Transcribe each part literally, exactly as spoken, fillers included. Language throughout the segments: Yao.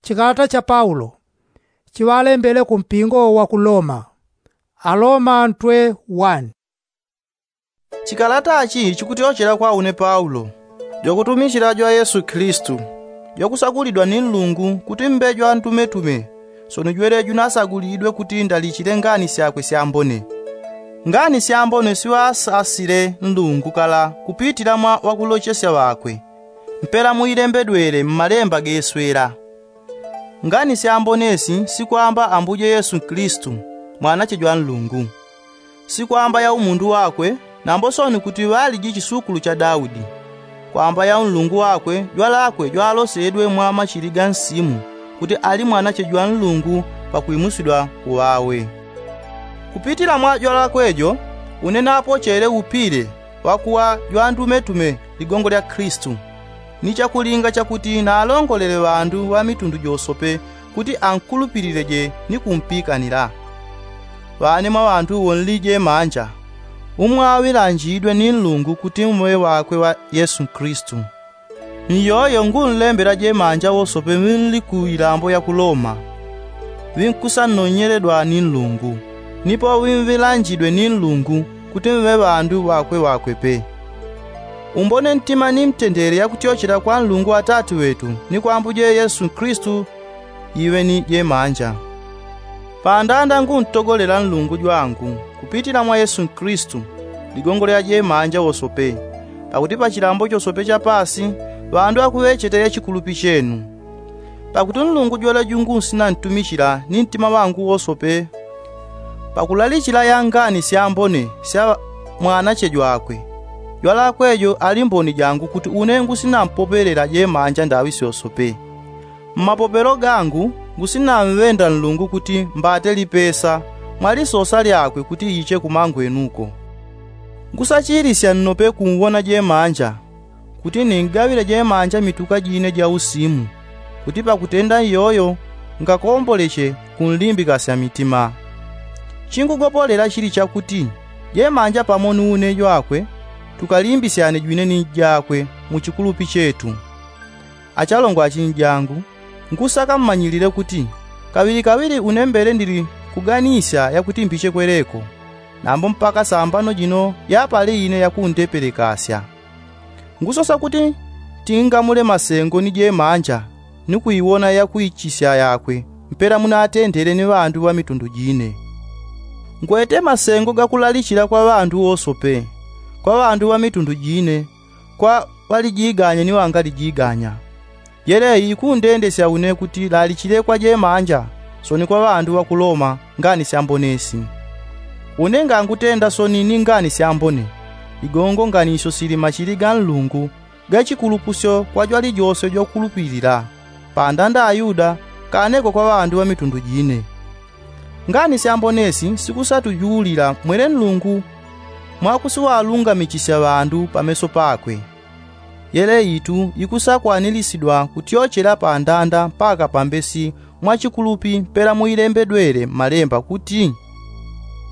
Chikalata cha paulo chiŵalembele ku mpingo wa ku loma. Aloma ntwe wani. Chikalata chi chikutyochela kwa une paulo, jwakutumichila jwa yesu kilisitu, jwakusagulidwa ni nlungu kuti mbe jwantumetume, soni jwele junasagulidwe kuti ndalichile ngani syakwe syambone. Ngani syambone siŵasasile nlungu kala kupitila mwa ŵakulochesya ŵakwe, mpela muilembedwele mmalemba geswela. Ngani syambone si sikwamba ambuje yesu kilisitu, mwanache jwa nlungu, sikwamba ya umundu wakwe, nambo soni kuti ŵaliji chisukulu cha daudi, kwamba ya unlungu wakwe jwalakwe jwalosedwe mwa machili ga nsimu, kuti ali mwanache jwa nlungu pakwimusidwa kuŵawe. Kupitila mwa jwalakwe jo, une napochele upile wakuŵa jwantumetume ligongo lya kilisitu, ni chakulinga chakuti nalongolele ŵandu ŵa mitundu josope kuti ankulupilileje ni kumpikanila. Ŵane mwa ŵandu wonlije manja, umwaŵilanjidwe ni nlungu kuti muŵe ŵakwe ŵa yesu kilisitu. Nyoyo ngunlembela jemanja wosope ŵinli ku ilambo ya ku loma, ŵinkusanonyeledwa ni nlungu, nipo ŵinŵilanjidwe ni nlungu kuti mŵe ŵandu ŵakwe ŵakwe pe. Umbone ntima ni mtendele yakutyochela kwa nlungu atati ŵetu ni kwa ambuje yesu kilisitu, iŵe ni jemanja. Pandanda nguntogolela nlungu jwangu kupitila mwa yesu kilisitu, ligongo lya jemanja wosope, pakuti pa chilambo chosope cha pasi ŵandu akuŵechete ya chikulupi chenu. Pakuti nlungu jwele jungunsina ntumichila ni ntima ŵangu wosope, pakulalichila ya ngani syambone sya mwanache jwakwe, jwalakwe jo ali mboni jangu kuti une ngusina mpopelela jemanja ndaŵi syosope. Mmapopelo gangu, ngusinamŵenda nlungu kuti mbate lipesa mwa lisosa lyakwe kuti iche kumangwenuko. Ngusachilisya nnope kumwona jemanja, kuti ningaŵile jemanja mituka jine ja usimu, kuti pakutenda iyoyo ngakomboleche kunlimbikasya mitima. Chingugopolela chili chakuti, jemanja pamo ni une jwakwe tukalimbisyane jwine ni jakwe mu chikulupi chetu. Achalongo achinjangu, nkusaka mmanyilile kuti kaŵilikaŵili une mbele ndili kuganisya yakuti mbiche kweleko, nambo mpaka sambano jino yapale ine yakundepelekasya. Ngusosa kuti tingamule masengo ni jemanja ni kuiwona yakuichisya yakwe mpela munatendele ni ŵandu ŵa mitundu jine. Ngwete masengo gakulalichila kwa ŵandu wosope, kwa ŵandu ŵa mitundu jine, kwa ŵalijiganya ni ŵangalijiganya. Yeleyi ikundendesya une kuti lalichile kwa jemanja soni kwa ŵandu ŵa ku loma ngani syambone si. Une ngangutenda soni ni ngani syambone, igongo nganisyo sili machili ga nlungu ga chikulupusyo kwa jwalijose jwakulupilila, pandanda ayuda kaneko kwa ŵandu ŵa mitundu jine. Ngani syambone si sikusatujulila mwele nlungu mwakusiŵalungamichisya ŵandu pameso pakwe. Yele itu ikusakwanilisdwa kutyochela pandanda mpaka pambesi mwa chikulupi mpela muilembedwele mmalemba kuti,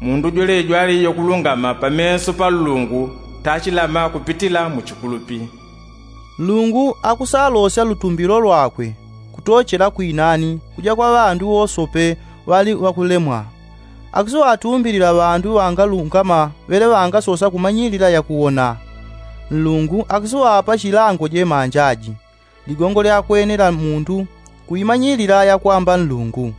mundu jwele jwali yokulungama pameso pa nlungu tachilama kupitila mu chikulupi. Nlungu akusalosya lutumbilo lwakwe kutochela kwinani kuja kwa ŵandu wosope ŵali ŵakulemwa. Akusiŵatumbilila ŵandu ŵangalungama ŵele ŵangasosa kumanyilila yakuwona. Nlungu akusiŵapa chilango jemanja aji, ligongo lyakwene la mundu kuimanyilila yakwamba nlungu.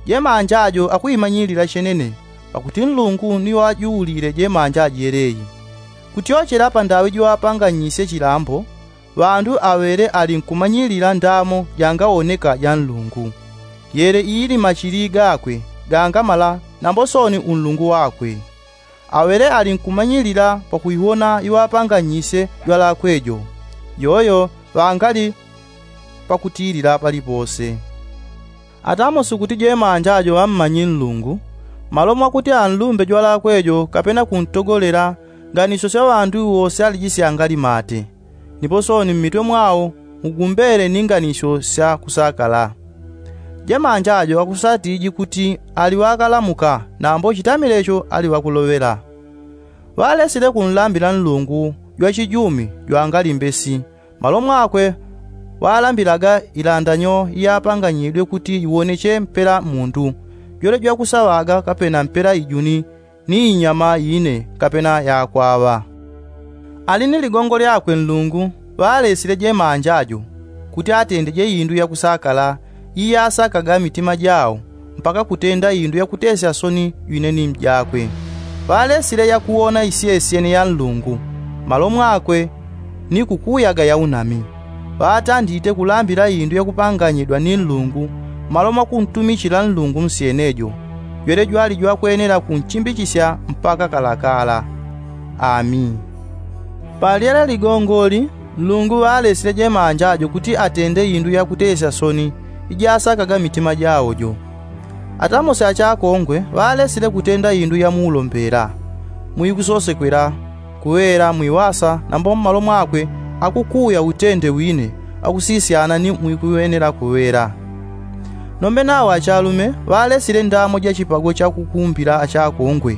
Jemanja ajo akuimanyilila chenene, pakuti nlungu ni wajuulile jemanja aji yeleyi. Kutyochela pandaŵi jiŵapanganyisye chilambo, ŵandu aŵele ali nkumanyilila ndamo jangawoneka ja nlungu. Yele iili machili gakwe gangamala nambo soni unlungu wakwe. Aŵele ali nkumanyilila pakuiwona iŵapanganyisye jwalakwe jo, yoyo ŵangali pakutilila palipose. Atamo sikuti jemanja ajo ŵammanyi nlungu, malo mwakuti anlumbe jwalakwe jo kapena kuntogolela nganisyo sya ŵandu wose alijisya angalimate. Nipo soni mmitwe mwao mugumbele ni nganisyo sya kusakala. Jemanja ajo akusatiji kuti ali ŵakalamuka nambo chitamile cho ali ŵakuloŵela. Ŵalesile kunlambila nlungu jwachijumi jwangalimbe si, malo mwakwe Ŵalambilaga ilandanyo iyapanganyidwe kuti iwoneche mpela mundu jwele jwakusaŵaga kapena mpela ijuni ni inyama ine kapena yakwaŵa. Ali ni ligongo lyakwe nlungu ŵalesile jemanja jo kuti atendeje indu yakusakala iyasakaga mitima jao mpaka kutenda indu yakutesya soni jwine ni mjakwe. Ŵalesile yakuwona isyesyene ya nlungu mmalo mwakwe ni kukuyaga yaunami. Ŵatandite kulambila indu yakupanganyidwa ni nlungu mmalo mwakuntumichila nlungu nsyene jo jwele jwali jwakwenela kunchimbichisya mpaka kalakala. Ami. Palyele ligongoli nlungu ŵalesile jemanja jo kuti atende indu yakutesya soni ijasakaga mitima jao jo. Atamose achakongwe ŵalesile kutenda indu yamuulombela, mwikusosekwela, kuŵela mwiŵasa nambo mmalo mwakwe akukuya utende wine wakusisyana ni mwikuŵenela kuŵela. Nombe nawo achalume ŵalesile ndamo ja chipago chakukumbila achakongwe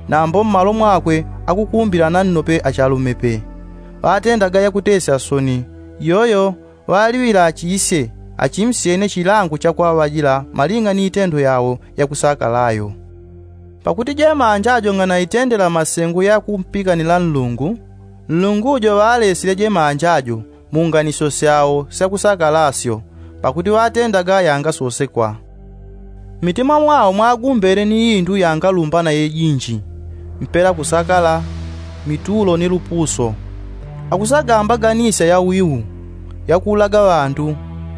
nambo mmalo mwakwe akukumbila nannope achalumepe. Ŵatendaga yakutesya soni iyoyo ŵaliŵila achisye achimsyene chilango chakwaŵajila maling'a ni itendo yao yakusakalayo. Pakuti jemanja jo ng'anaitendela masengo yakumpikanila nlungu, nlungu jo ŵalesile jemanja jo mu nganisyo syao syakusakalasyo pakuti ŵatendaga yanga sosekwa. Mmitima mwao mwagumbele ni indu yangalumbana yejinji, mpela kusakala, mitulo ni lupuso. Akusagambaganisya yawiu, yakuulaga ŵandu,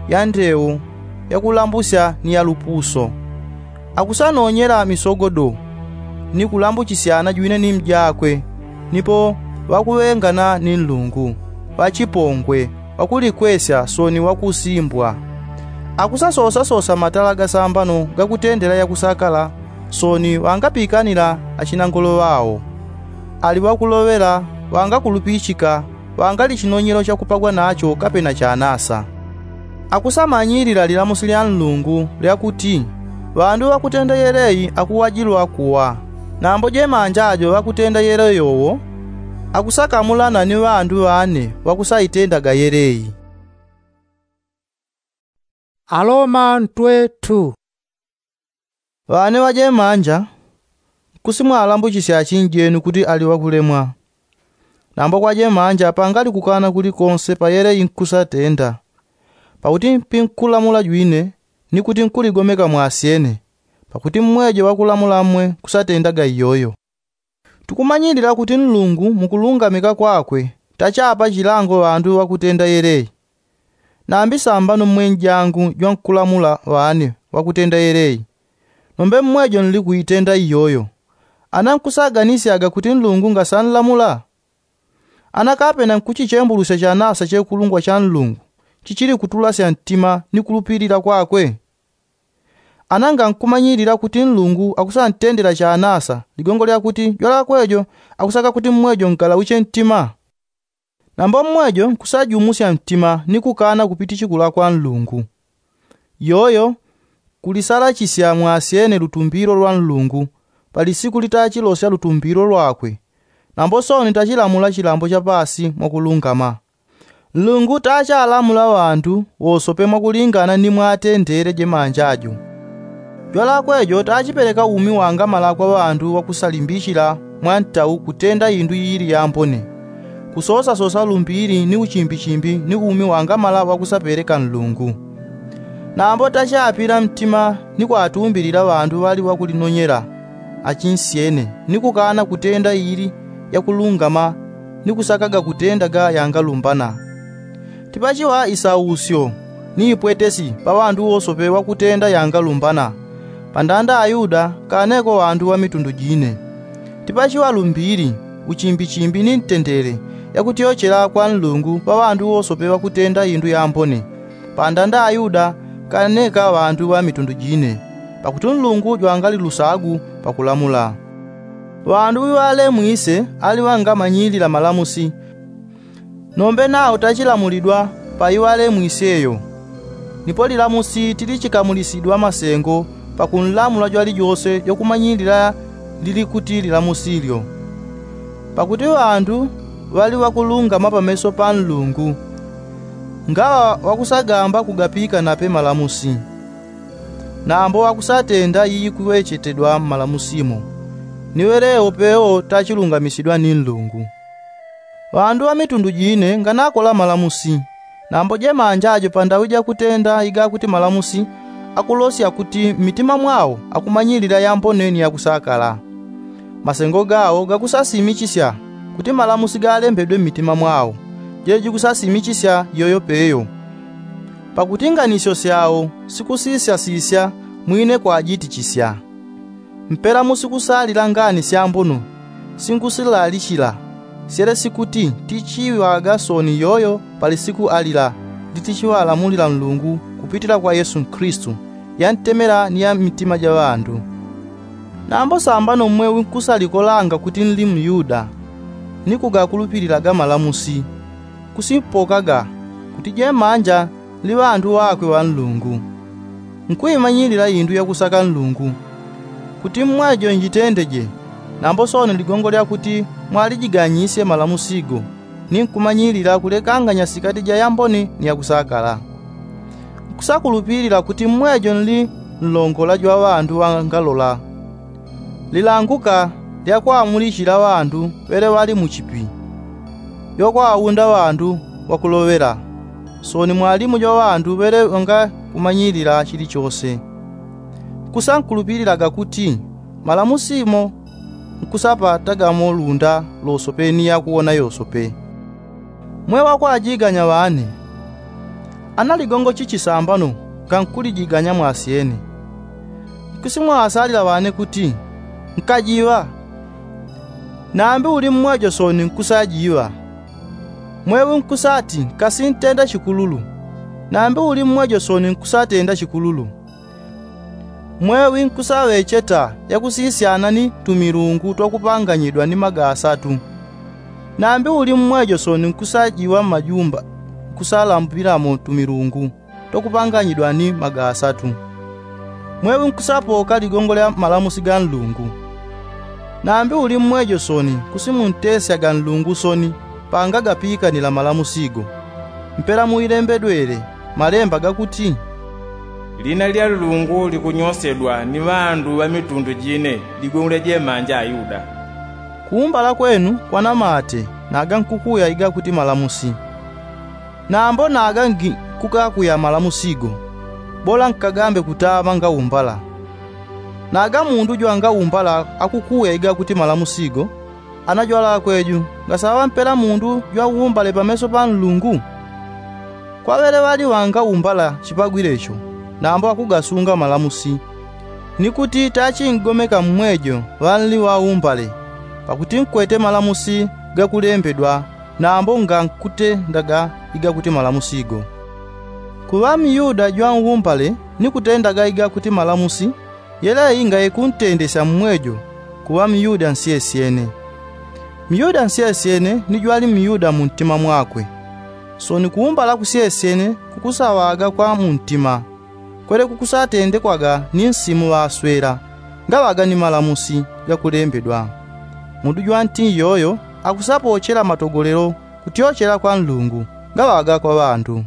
yandeu, yakulambusya ni yalupuso. Akusanonyela misogodo ni kulambuchisyana jwine ni mjakwe. Nipo ŵakuŵengana ni nlungu, ŵachipongwe, ŵakulikwesya soni ŵakusimbwa. Akusasosasosa matala gasambano gakutendela yakusakala soni ŵangapikanila achinangolo ŵao. Ali ŵakuloŵela, ŵangakulupichika, ŵangali chinonyelo chakupagwa nacho kapena chanasa. Akusamanyilila lilamusi lya nlungu lyakuti ŵandu ŵakutenda yeleyi akuwajilwa kuwa. Nambo jemanja jo ŵakutenda yeleyi yowo akusakamulana ni ŵandu ŵane ŵakusaitendaga yeleyi. Aloma ntwe tu. Ŵane ŵajemanja, nkusimwalambuchisya achinjenu kuti ali ŵakulemwa. Nambo kwajemanja pangali kukana kuli konse payele inkusatenda. Pakuti mpinkulamula jwine ni kuti nkuligomeka mwasyene, pakuti mmwejo ŵakulamula mmwe nkusatendaga iyoyo. Tukumanyilila kuti nlungu mukulungamika kwakwe tachapa chilango ŵandu ŵakutenda yeleyi. Nambi sambano mmwe njangu jwankulamula ŵane ŵakutenda yeleyi. Nombe mmwejo nlikuitenda iyoyo. Ana nkusaganisyaga kuti nlungu ngasanlamula? Ana kapena nkuchichembulusya chanasa chekulungwa cha nlungu chichili kutulasya ntima ni kulupilila kwakwe? Ana ngankumanyilila kuti nlungu akusantendela chanasa ligongo lyakuti jwalakwejo akusaka kuti mmwejo ngalauche ntima? Nambo mmwejo nkusajumusya ntima ni kukana kupitichikula kwa nlungu. Iyoyo kulisalachisya mwasyene lutumbilo lwa nlungu pa lisiku litachilosya lutumbilo lwakwe. Nambo soni tachilamula chilambo cha paasi mwakulungama. Nlungu tachalamula ŵandu wosope mwakulingana ni mwatendele jemanja jo. Jwalakwejo tachipeleka umi wangamala kwa ŵandu ŵakusalimbichila mwa ntau kutenda indu iili yambone, kusosasosa lumbili ni uchimbichimbi ni umi wangamala ŵakusapeleka nlungu. Nambo tachapila mtima ni kwatumbilila ŵandu ŵali ŵakulinonyela achinsyene ni kukana kutenda iili yakulungama ni kusakaga kutenda ga yangalumbana. Tipachiŵa isausyo ni ipwetesi pa ŵandu wosope ŵakutenda yangalumbana, pa ndanda ayuda kaneko ŵandu ŵa mitundu jine. Tipachiŵa lumbili, uchimbichimbi ni ntendele yakutyochela kwa nlungu pa ŵandu wosope ŵakutenda indu yambone, pa ndanda ayuda kaneka ŵandu ŵa mitundu jine. Pakuti nlungu jwangali lusagu pakulamula. Ŵandu ŵiŵalemwise ali ŵangamanyilila malamusi. Nombe nao tachilamulidwa pa iŵalemwiseyo. Nipo lilamusi tilichikamulisidwa masengo pakunlamula jwalijose jwakumanyilila lili kuti lilamusilyo. Pakuti ŵandu ŵali ŵakulungama pameso pa nlungu. Ngaŵa ŵakusagamba kugapikana pe malamusi, nambo ŵakusatenda iikuŵechetedwa mmalamusimo, ni ŵelewo pewo tachilungamisidwa ni nlungu. Ŵandu ŵa mitundu jine nganakola malamusi, nambo jemanja jo pandaŵi jakutenda igakuti malamusi akulosya kuti mmitima mwao akumanyilila yambone ni yakusakala. Masengo gao gakusasimichisya kuti malamusi galembedwe mmitima mwao, jele jikusasimichisya yoyo peyo. Pakuti nganisyo syao sikusisyasisya mwine kwajitichisya. Mpela musikusalila ngani syambono singusilalichila, syele sikuti tichiŵaga soni yoyo pa lisiku alila litichiŵalamulila nlungu kupitila kwa yesu nkristu, yantemela ni ya mmitima ja ŵandu. Nambo sambano mweŵi nkusalikolanga kuti nli myuda, ni kugakulupililaga malamusi, kusipokaga kuti jemanja nli ŵandu ŵakwe ŵa nlungu, nkuimanyilila indu yakusaka nlungu, kuti mmwejo njitendeje. Nambo soni ligongo lyakuti mwalijiganyisye malamusigo, ni nkumanyilila kulekanganya sikati ja yambone ni yakusakala. Nkusakulupilila kuti mmwejo nli nlongola jwa ŵandu ŵangalola. Lilanguka lyakwamulichila ŵandu ŵele ŵali muchipi, jwakwaunda ŵandu ŵakuloŵela, soni mwalimu jwa ŵandu ŵele ŵangakumanyilila chilichose. Nkusankulupililaga kuti malamusi mo nkusapatagamo lunda losope ni yakuwona yosope. Mwe ŵakwajiganya ŵane, ana ligongo chichi sambano ngankulijiganya mwasyene? Nkusimwasalila ŵane kuti, nkajiŵa. Nambi uli mmwejo soni nkusajiŵa. Mweŵi nkusati nkasintenda chikululu. Nambi uli mmwejo soni nkusatenda chikululu. Mweŵi nkusaŵecheta yakusisyana ni tumilungu twakupanganyidwa ni magasatu. Nambi uli mmwejo soni nkusajiŵa mmajumba nkusalambwilamo tumilungu twakupanganyidwa ni magasatu. Mweŵi nkusapoka ligongo lya malamusi ga nlungu. Nambi uli mmwejo soni nkusimuntesyaga nlungu soni pangagapikanila malamusigo. Mpela muilembedwele malemba gakuti, lina lya nlungu likunyosedwa ni ŵandu ŵa mitundu jine ligongo lya jemanja ayuda. Kuumbala kwenu kwana mate naga nkukuya igakuti malamusi. Nambo naga ngi kukakuya malamusigo, bola nkagambe kutaŵa ngaumbala. Naga mundu jwangaumbala akukuya igakuti malamusigo, ana jwalakwe ju ngasaŵa mpela mundu jwaumbale pameso pa nlungu? Kwa ŵele ŵali ŵangaumbala chipagwile cho, nambo akugasunga malamusi, ni kuti tachingomeka mmwejo ŵanli ŵaumbale. Pakuti nkwete malamusi gakulembedwa, nambo ngankutendaga igakuti malamusigo. Kuŵa myuda jwaumbale ni kutendaga igakuti malamusi, yeleyi ngaikuntendesya mmwejo kuŵa myuda nsyesyene. Myuda nsyesyene ni jwali myuda muntima mwakwe. Soni kuumbala kusyesyene kukusaŵaga kwa muntima, kwele kukusatendekwaga ni nsimu ŵaswela, ngaŵaga ni malamusi gakulembedwa. Mundu jwanti yoyo akusapochela matogolelo kutyochela kwa nlungu, ngaŵaga kwa ŵandu.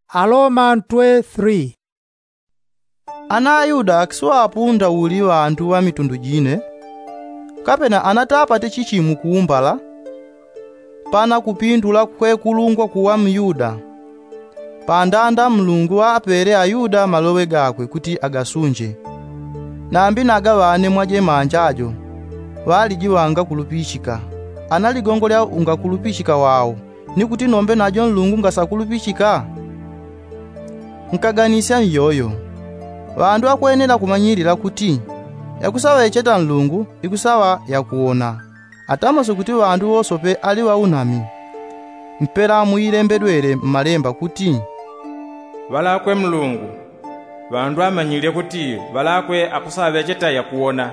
Aloma ntwe three. Ana ayuda akisiŵapunda uli ŵandu ŵa mitundu jine, kapena anatapate chichi mukuumbala, pana kupindula kwekulungwa kuŵa myuda. Pandanda nlungu ŵapele ayuda maloŵe gakwe kuti agasunje. Nambi naga ŵane mwaje manja ajo ŵaliji ŵangakulupichika, ana ligongo lya ungakulupichika wao, ni kuti nombe najo nlungu ngasakulupichika? Nkaganisya nyoyo. Ŵandu akwenela kumanyilila kuti yakusaŵecheta nlungu ikusaŵa yakuwona. Atamose kuti ŵandu wosope ali ŵaunami. Mpela muilembedwele mmalemba kuti, ŵalakwe mlungu. Ŵandu amanyile kuti ŵalakwe akusaŵecheta yakuwona.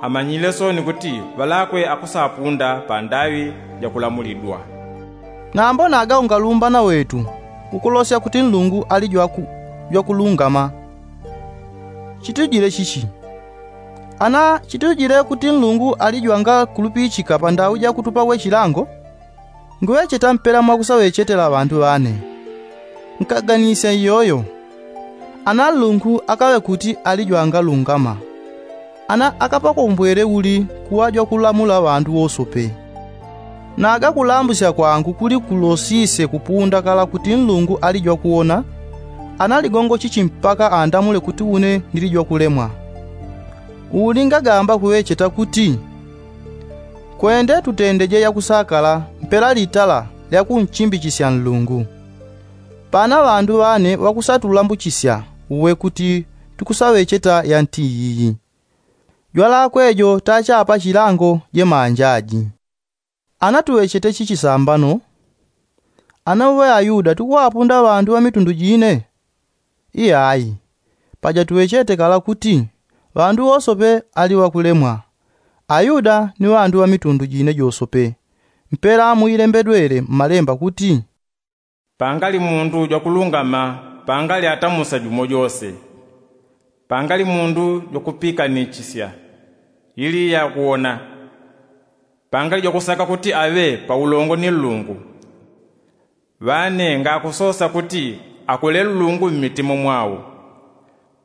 Amanyile soni kuti ŵalakwe akusapunda pandaŵi jakulamulidwa. Nambo naga ungalumbana wetu ukulosya kuti nlungu ali jwaku jwakulungama. Chitujile chichi? Ana chitujile kuti nlungu ali jwangakulupichika pandaŵi jakutupa we chilango? Nguŵecheta mpela mwakusaŵechetela ŵandu ŵane. Nkaganisya iyoyo. Ana nlungu akaŵe kuti ali jwangalungama. Ana akapakombwele uli kuŵa jwakulamula ŵandu wosope. Naga kulambusya kwangu kuli kulosisye kupunda kala kuti nlungu ali jwakuwona. Ana ligongo chichi mpaka andamule kuti une ndili jwakulemwa? Uli ngagamba kuŵecheta kuti kwende tutendeje yakusakala mpela litala lyakunchimbichisya nlungu. Pana ŵandu ŵane ŵakusatulambuchisya uwe kuti tukusaŵecheta yanti iyiyi. Jwalakwe jo tachapa chilango jemanja aji. Ana tuŵechete chichi sambano? Ana uŵe ayuda tukuŵapunda ŵandu ŵa mitundu jine? Iyayi. Paja tuŵechete kala kuti ŵandu wosope ali ŵakulemwa, ayuda ni ŵandu ŵa mitundu jine josope. Mpela muilembedwele mmalemba kuti, pangali mundu jwakulungama pangali atamusa jumo jose. Pangali mundu jwakupikanichisya ili yakuwona. Pangali jwakusaka kuti aŵe paulongo ni nlungu. Ŵane ngakusosa kuti akule nlungu mmitima mwao.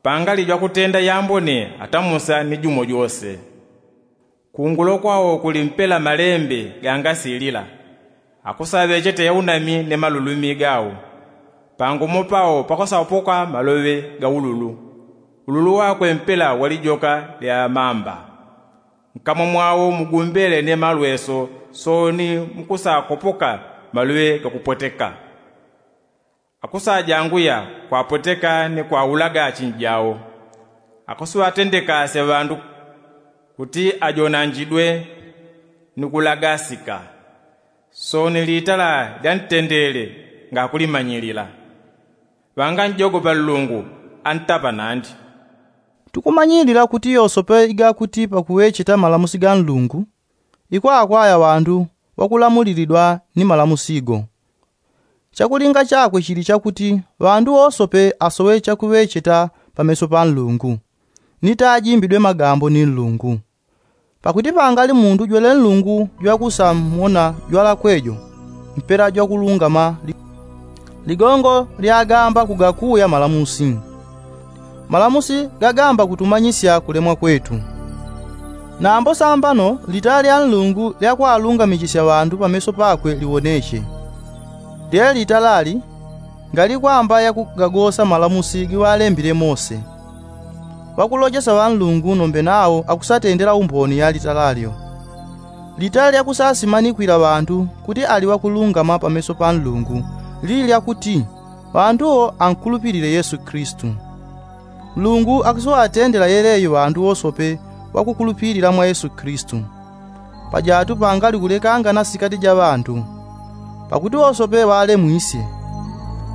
Pangali jwakutenda yambone atamusa ni jumo jose. Kungulo kwao kuli mpela malembe gangasilila. Akusaŵechete yaunami ni malulumi gao. Pangumo pao pakusapoka maloŵe ga ululu. Ululu wakwe mpela wali joka lya mamba. Nkamwa mwao mugumbele ni malweso sooni mukusakopoka maloŵe gakupweteka. Akusajanguya kwapweteka ni kwaulaga achinjao. Akusiŵatendekasya ŵandu kuti ajonanjidwe ni kulagasika. Sooni litala lya ntendele ngakulimanyilila. Ŵanganjogopa nlungu antapa nandi. Tukumanyilila kuti yosope igakuti pakuŵecheta malamusi ga nlungu, ikwakwaya ŵandu ŵakulamulilidwa ni malamusi go. Chakulinga chakwe chili chakuti ŵandu wosope asoŵe chakuŵecheta pameso pa nlungu, ni tajimbidwe magambo ni nlungu. Pakuti pangali mundu jwele nlungu jwakusamona jwalakwe jo mpela jwakulungama li- ligongo lyagamba kugakuya malamusi. Malamusi gagamba kutumanyisya kulemwa kwetu. Nambo sambano litala lya nlungu lyakwalungamichisya ŵandu pameso pakwe liwoneche. Lyele litala li ngalikwamba yakugagosa malamusi giŵalembile mose. Ŵakulojesa ŵa nlungu nombe nao akusatendela umboni ya litala lyo. Litala lyakusasimanikwila ŵandu kuti ali ŵakulungama pameso pa nlungu lili lyakuti ŵandu wo ankulupilile yesu kilisitu. Nlungu akusiŵatendela yeleyi ŵandu wosope ŵakukulupilila mwa yesu kilisitu. Pajatu pangali kulekangana sikati ja ŵandu. Pakuti wosope ŵalemwisye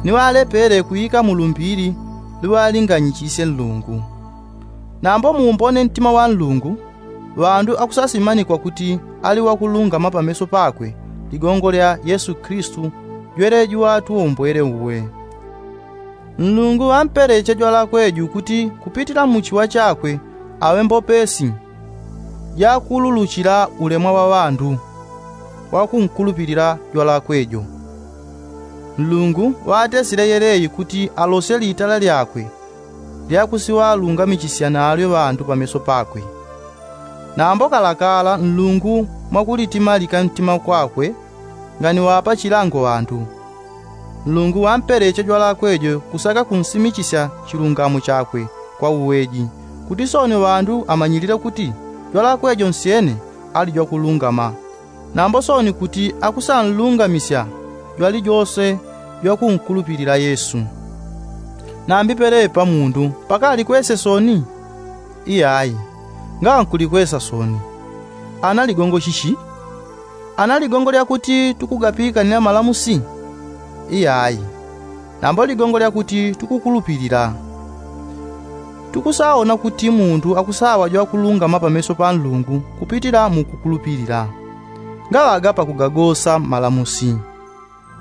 ni ŵalepele kuika mu lumbili luŵalinganyichisye nlungu. Nambo muumbone ntima wa nlungu ŵandu akusasimanikwa kuti ali ŵakulungama pameso pakwe ligongo lya yesu kilisitu jweleji watuwombwele uwe. Nlungu ŵampeleche jwalakwe ju kuti kupitila mu chiŵa chakwe aŵe mbopesi jakululuchila ulemwa wa ŵandu ŵakunkulupilila jwalakwe jo. Nlungu ŵatesile yeleyi kuti alosye litala lyakwe lyakusiŵalungamichisya nalyo ŵandu pameso pakwe. Nambo kalakala nlungu mwakulitimalika ntima kwakwe nganiŵapa chilango ŵandu. Nlungu ŵampeleche jwalakwe jo kusaka kunsimichisya chilungamo chakwe kwa uweji kuti sooni ŵandu amanyilile kuti jwalakwe jo nsyene ali jwakulungama. Nambo sooni kuti akusanlungamisya jwalijose jwakunkulupilila yesu. Nambi pelepa mundu pakalikwesye sooni? Iyayi. Ngaŵa nkulikwesa sooni. Ana ligongo chichi? Ana ligongo lyakuti tukugapikanila malamusi? Iyayi. Nambo ligongo lyakuti tukukulupilila. Tukusaona kuti mundu akusaŵa jwakulungama pameso pa nlungu kupitila mu kukulupilila. Ngaŵaga pakugagosa malamusi.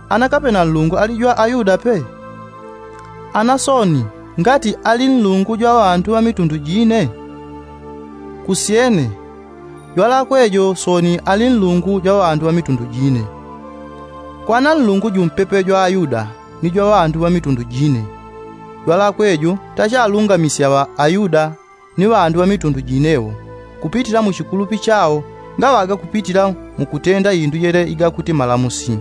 Ana kapena nlungu ali jwa ayuda pe? Ana sooni ngati ali nlungu jwa ŵandu ŵa mitundu jine? Kusyene. Jwalakwe jo sooni ali nlungu jwa ŵandu ŵa mitundu jine. Kwana nlungu jumpepe jwa ayuda ni jwa ŵandu ŵa mitundu jine. Jwalakwe jo tachalungamisya ŵa ayuda ni ŵandu ŵa mitundu jine wo kupitila mu chikulupi chao ngaŵaga kupitila mu kutenda indu yele igakuti malamusi.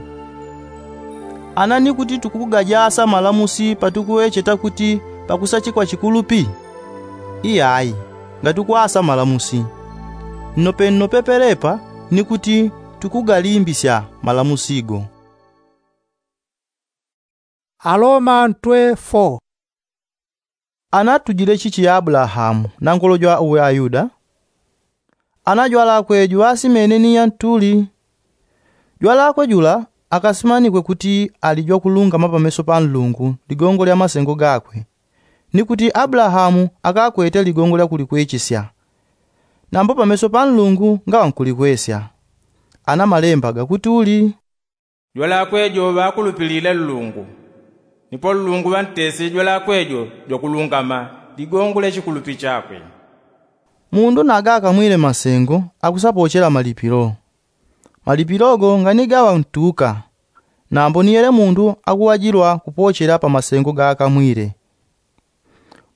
Ana ni kuti tukugajasa malamusi patukuŵecheta kuti pakusachikwa chikulupi? Iyayi. Ngatukwasa malamusi nnope nnope pelepa ni kuti tukugalimbisya malamusi go. Aloma ntwe fo. Anatujile chichi ya abulahamu na ngolo jwa uwe ayuda? Ana jwalakwe juŵasimene ni yantuli? Jwalakwe jula akasimanikwe kuti ali jwakulungama pameso pa nlungu ligongo lya masengo gakwe, ni kuti abulahamu akakwete ligongo lya kulikwechesya. Nambo pameso pa nlungu ngaŵa nkulikwesya. Ana malemba gakuti uli? Jwalakwe jo ŵakulupilile nlungu, nipo nlungu ŵantesile jwalakwe jo jwakulungama ligongo lya chikulupi chakwe. Mundu naga akamwile masengo akusapochela malipilo. Malipilo go nganigaŵa ntuka. Nambo ni yele mundu akuŵajilwa kupochela pa masengo gaakamwile.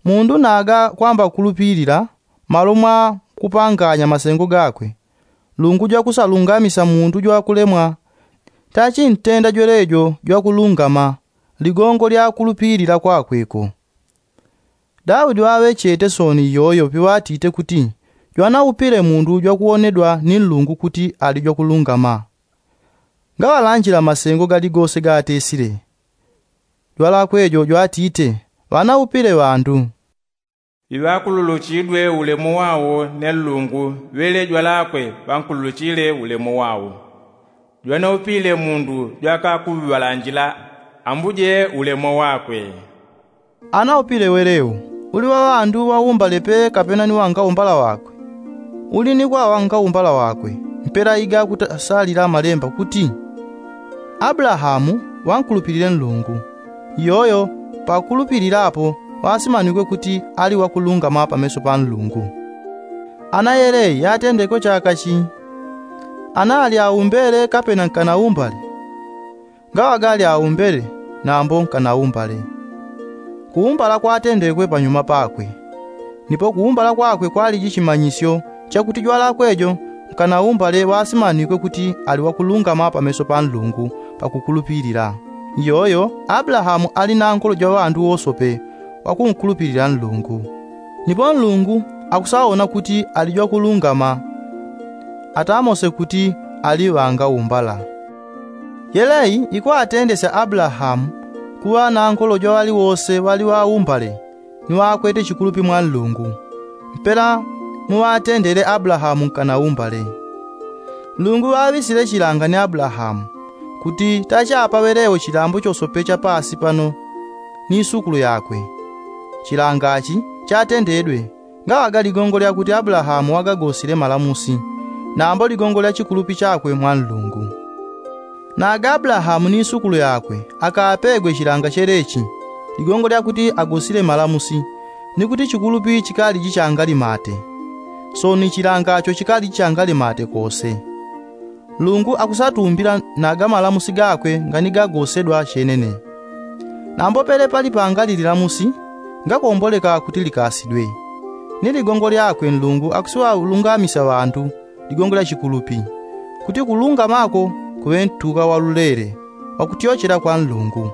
Mundu naga kwamba kulupilila malo mwa kupanganya masengo gakwe, nlungu jwakusalungamisya mundu jwakulemwa tachintenda jwelejo jwakulungama ligongo lya kulupilila kwakwe ko. Daudi ŵaŵechete soni iyoyo piŵatite kuti jwanaupile mundu jwakuwonedwa ni nlungu kuti ali jwakulungama. Ngaŵalanjila masengo galigose gaatesile. Jwalakwe jo jwatite ŵanaupile ŵandu. Iŵakululuchidwe ulemu wao ne nlungu ŵele jwalakwe ŵankululuchile ulemu wao. Jwanaupile mundu jwakakuŵalanjila ambuje ulemu wakwe. Anaupile weleu uli wa ŵandu ŵaumbale pe kapena ni wangaumbala wakwe? Uli ni kwa wangaumbala wakwe. Mpela iga kutasalila malemba kuti, abulahamu ŵankulupilile nlungu. Iyoyo pakulupilila apo ŵasimanwikwe kuti ali wakulungama pameso pa nlungu. Ana yelei yatendekwe chaka chi? Ana ali aumbele kapena nkanaumbale? Ngaŵaga ali aumbele nambo nkanaumbale. Kuumbala kwatendekwe panyuma pakwe. Nipo kuumbala kwakwe kwaliji chimanyisyo chakuti jwalakwe jo nkanaumbale ŵasimanwikwe kuti ali wakulungama pameso pa nlungu pakukulupilila. Iyoyo abulahamu ali nankolo jwa ŵandu wosope ŵakunkulupilila nlungu. Nipo nlungu akusaona kuti ali jwakulungama atamose kuti ali ŵangaumbala. Yelei ikwatendesya abulahamu kuŵa nankolo jwa ŵaliwose ŵali ŵaumbale ni ŵakwete chikulupi mwa nlungu. Mpela muŵatendele abulahamu nkanaumbale. Nlungu ŵaŵisile chilanga ni abulahamu kuti tachapaŵelewo chilambo chosope cha paasi pano ni isukulu yakwe. Chilanga chi chatendedwe ngaŵaga ligongo lyakuti abulahamu wagagosile malamusi nambo ligongo lya chikulupi chakwe mwa nlungu. Naga abulahamu ni isukulu yakwe akapegwe chilanga chelechi ligongo lyakuti agosile malamusi ni kuti chikulupi chikaliji changalimate. Soni chilangacho chikaliji changalimate kose. Nlungu akusatumbila naga malamusi gakwe nganigagosedwa chenene. Nambo pele pali pangali lilamusi ngakomboleka kuti likasidwe. Ni ligongo lyakwe nlungu akusiŵalungamisya ŵandu ligongo lya chikulupi kuti kulungamako kuŵe ntuka walulele wakutyochela kwa nlungu.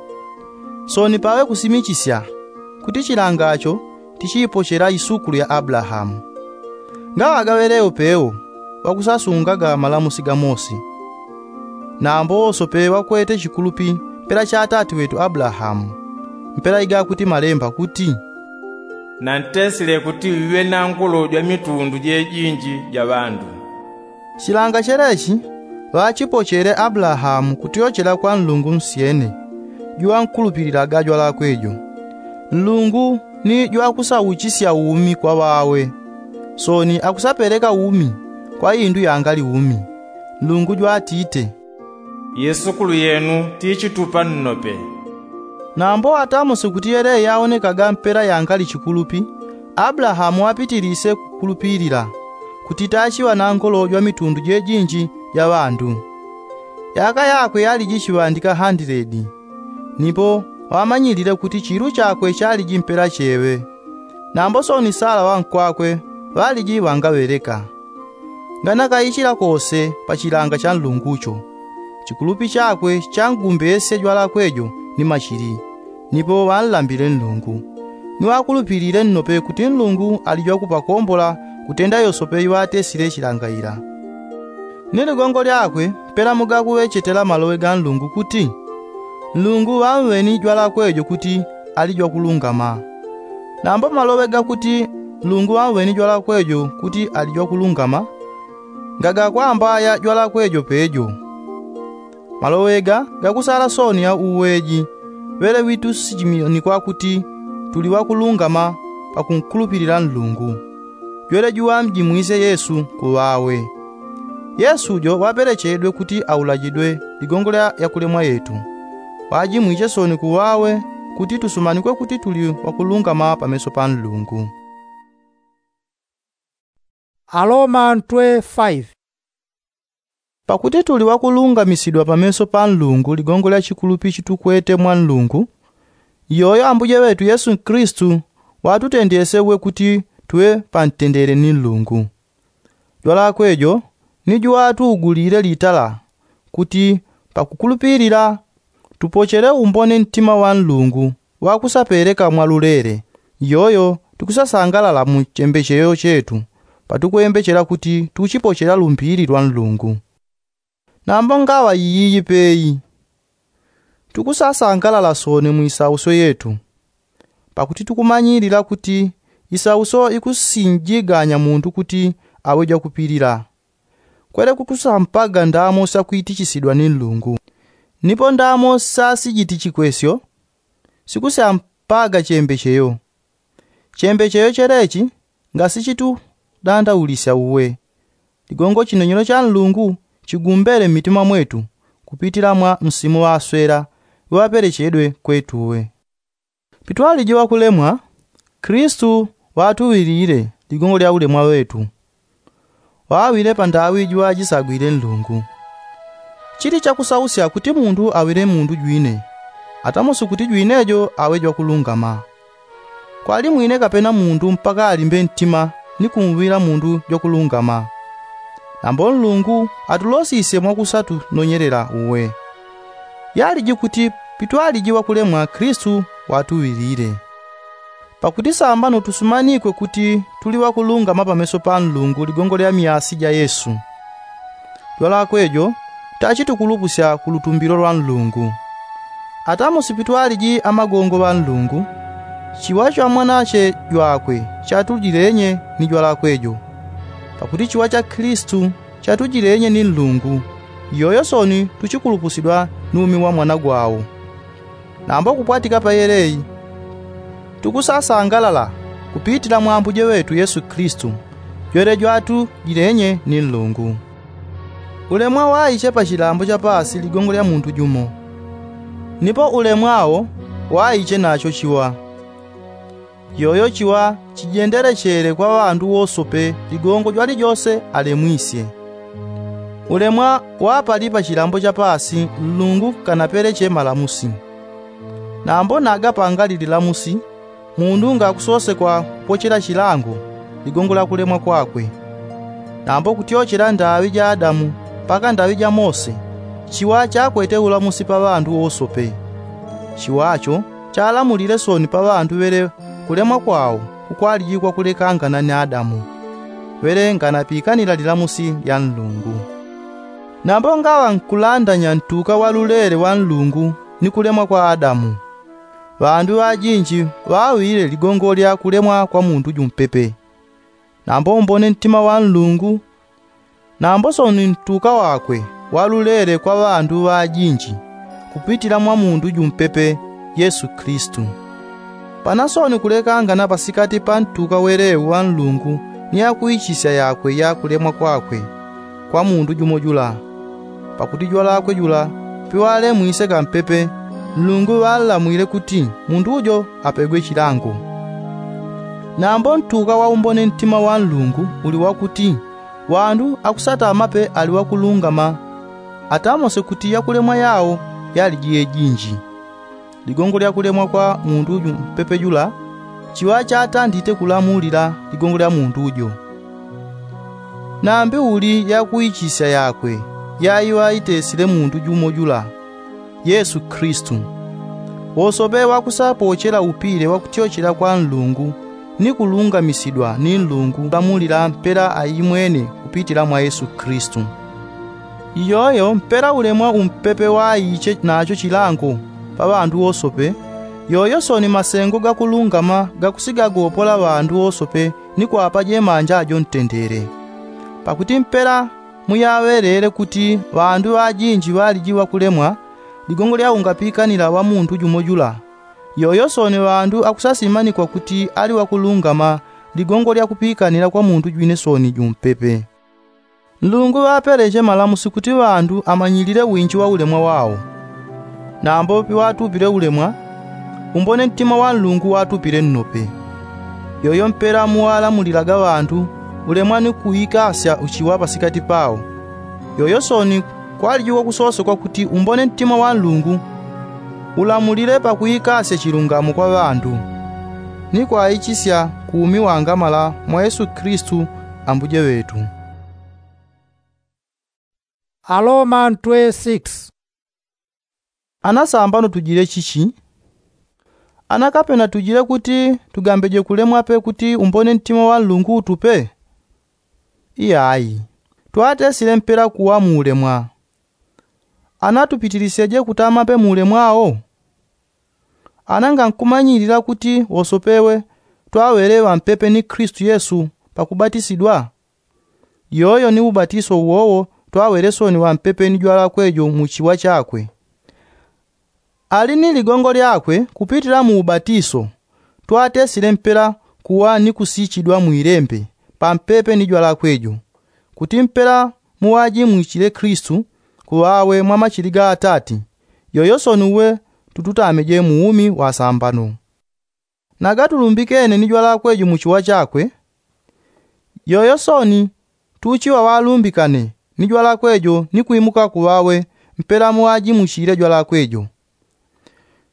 Soni paŵe kusimichisya kuti chilangacho tichiipochela isukulu ya abulahamu. Ngaŵagaŵelewo pewo ŵakusasungaga malamusi ga mose. Nambo wosope ŵakwete chikulupi mpela cha atati wetu abulahamu. Mpela igakuti malemba kuti, nantesile kuti wiŵe nankolo jwa mitundu jejinji ja ŵandu. Chilanga chelechi ŵachipochele abulahamu kutyochela kwa nlungu nsyene juŵankulupililaga jwalakwe jo. Nlungu ni jwakusauchisya umi kwa ŵawe. Soni akusapeleka umi kwa indu yangali umi. Nlungu jwatite, isukulu yenu tichitupa nnope. Nambo atamose kuti yele yaonekaga mpela yangali chikulupi, abulahamu apitilise kukulupilila kuti tachiŵa nankolo jwa mitundu jejinji ja ŵandu. Yaka yakwe yaliji chiŵandika handiledi. Nipo ŵamanyilile kuti chiilu chakwe chaliji mpela cheŵe. Nambo sooni sala ŵankwakwe ŵaliji ŵangaŵeleka. Nganakaichila kose pa chilanga cha nlungucho. Chikulupi chakwe changumbesye jwalakwe jo ni machili. Nipo ŵanlambile nlungu. Ni ŵakulupilile nnope kuti nlungu ali jwakupakombola kutenda yosope iŵatesile chilangaila. Ni ligongo lyakwe mpela mugakuŵechetela maloŵe ga nlungu kuti nlungu ŵamweni jwalakwe jo kuti ali jwakulungama. Nambo maloŵe gakuti nlungu ŵamweni jwalakwe jo kuti ali jwakulungama, ngagakwambaya jwalakwe jo pejo. Maloŵe ga gakusala sooni ya uweji ŵele ŵitusijiminyi kwakuti tuli ŵakulungama pakunkulupilila nlungu. Jwele juŵamjimwisye yesu kuŵawe. Yesu jo ŵapelechedwe kuti aulajidwe ligongo lya yakulemwa yetu. Ŵajimwisye sooni kuŵawe kuti tusumanikwe kuti tuli ŵakulungama pameso pa nlungu. Aloma ntwe faive. Pakuti tuli ŵakulungamisidwa pameso pa nlungu ligongo lya chikulupi chitukwete mwa nlungu. Iyoyo ambuje ŵetu yesu kristu ŵatutendesye uwe kuti tuŵe pantendele ni nlungu. Jwalakwe jo ni juŵatuugulile litala kuti pakukulupilila tupochele umbone ntima wa nlungu ŵakusapeleka mwalulele. Iyoyo tukusasangalala mu chembecheyo chetu patukwembechela kuti tuchipochela lumbili lwa nlungu. Nambo ngaŵa iyiyi peyi tukusasangalala sooni mu isausyo yetu. Pakuti tukumanyilila kuti isausyo ikusinjiganya muntu kuti aŵe jwakupilila. Kwele kukusampaga ndamo syakwitichisidwa ni nlungu. Nipo ndamo syasijitichikwesyo sikusyampaga chembecheyo. Chembecheyo chelechi ngasichitudandaulisya uwe. Ligongo chinochino cha nlungu chigumbele mmitima mwetu kupitila mwa msimu ŵaswela ŵapelechedwe kwetu uwe. Pitwaliji ŵakulemwa kristu ŵatuŵilile ligongo lya ulemwa ŵetu. Ŵaŵile pandaŵi juŵajisagwile nlungu. Chili chakusausya kuti mundu aŵile mundu jwine atamusi kuti jwine jo aŵe jwakulungama. Kwali mwine kapena mundu mpaka alimbe ntima ni kumwila mundu jwakulungama. Nambo nlungu atulosisye mwakusatunonyelela uwe. Yaliji kuti pitwaliji ŵakulemwa kristu ŵatuŵilile. Pakuti sambano tusumanikwe kuti tuli ŵakulungama pameso pa nlungu ligongo lya myasi ja yesu. Jwalakwe jo tachitukulupusya ku lutumbilo lwa nlungu. Atamusi pitwaliji amagongo ŵa nlungu chiŵa cha mwanache jwakwe chatujilenye ni jwalakwe jo. Pakuti chiŵa cha kristu chatujilenye ni nlungu. Iyoyo sooni tuchikulupusidwa ni umi wa mwana gwawo. Nambo kupwatika pa yeleyi tukusasangalala kupitila mwa ambuje ŵetu yesu kristu jwele jwatujilenye ni nlungu. Ulemwa waiche pa chilambo cha paasi ligongo lya mundu jumo. Nipo ulemwa wo waiche nacho chiŵa. Yoyo chiŵa chijendelechele kwa ŵandu wosope ligongo jwalijose alemwisye. Ulemwa wapali pa chilambo cha paasi nlungu kanapeleche malamusi. Nambo nagapangali lilamusi mundu ngakusosekwa kupochela chilango ligongo lya kulemwa kwakwe. Nambo kutyochela ndaŵi ja adamu mpaka ndaŵi ja mose chiŵa chakwete ulamusi pa ŵandu wosope. Chiŵacho chalamulile sooni pa ŵandu ŵele kulemwa kwawo kukwaliji kwakulekangana ni adamu ŵele nganapikanila lilamusi lya nlungu. Nambo ngaŵa nkulandanya ntuka wa lulele wa nlungu ni kulemwa kwa adamu. Ŵandu ŵajinji ŵaŵile ligongo lya kulemwa kwa mundu jumpepe. Nambo umbone ntima wa nlungu nambo sooni ntuka wakwe walulele kwa ŵandu ŵajinji kupitila mwa mundu jumpepe yesu kristu. Pana sooni kulekangana pasikati pa ntuka welewu wa nlungu ni yakuichisya yakwe ya kulemwa kwakwe kwa mundu jumo jula. Pakuti jwalakwe jula piŵalemwise kampepe nlungu ŵanlamwile kuti mundu jo apegwe chilango. Nambo ntuka wa umbone ntima wa nlungu uli wakuti ŵandu akusatamape ali ŵakulungama Atamose kuti yakulemwa yao yaliji yejinji. Ligongo lya kulemwa kwa mundu uju mpepe jula chiŵa chatandite kulamulila ligongo lya mundu ujo. Nambi uli yakuichisya yakwe yaiŵa itesile mundu jumo jula, yesu kristu. Wosope wakusapochela upile wakutyochela kwa nlungu ni kulungamisidwa ni nlungu kulamulila mpela aimwene kupitila mwa yesu kristu. Iyoyo mpela ulemwa umpepe waiche nacho chilango pa ŵandu wosope. Yoyo soni masengo gakulungama gakusigagopola ŵandu wosope ni kwapa jemanja jo ntendele. Pakuti mpela muyaŵelele kuti ŵandu ŵajinji ŵaliji ŵakulemwa ligongo lya ungapikanila ŵa mundu jumo jula. Yoyo soni ŵandu akusasimanikwa kuti ali ŵakulungama ligongo lya kupikanila kwa mundu jwine soni jumpepe. Nlungu ŵapeleche malamusi kuti ŵandu amanyilile winji wa ulemwa wao. Nambo piŵatupile ulemwa, umbone ntima wa nlungu ŵatupile nnope. Yoyo mpela muŵalamulilaga ŵandu ulemwa ni kuikasya uchiŵa pasikati pao. Yoyo soni kwaliji wakusosekwa kuti umbone ntima wa nlungu ulamulile pakuikasya chilungamo kwa ŵandu ni kwaichisya kuumi wangamala mwa yesu kristu ambuje ŵetu. Aroma ntwe six. Ana sambano tujile chichi? Ana kapena tujile kuti tugambeje kulemwa pe kuti umbone ntima wa nlungu utupe? Iyayi. Twatesile mpela kuwa muulemwa. Ana tupitilisyeje kutama pe muulemwa wo? Ana ngankumanyilila kuti wosopewe twaŵele ŵampepe ni kristu yesu pakubatisidwa? Yoyo ni ubatiso uwowo twaŵele soni ŵampepe ni jwalakwe jo muchiŵa chakwe. Ali ni ligongo lyakwe kupitila mu ubatiso twatesile mpela kuŵa ni kusichidwa mwilembe pampepe ni jwalakwe jo, kuti mpela muŵajimwichile kristu kuŵawe mwa machili ga atati. Yoyo soni uwe tututameje mu umi wa sambano. Nagatulumbikene ni jwalakwe jo muchiŵa chakwe. Yoyo soni tuchiŵa ŵalumbikane ni jwalakwe jo ni kwimuka kuŵawe mpela muŵajimwichile jwalakwe jo.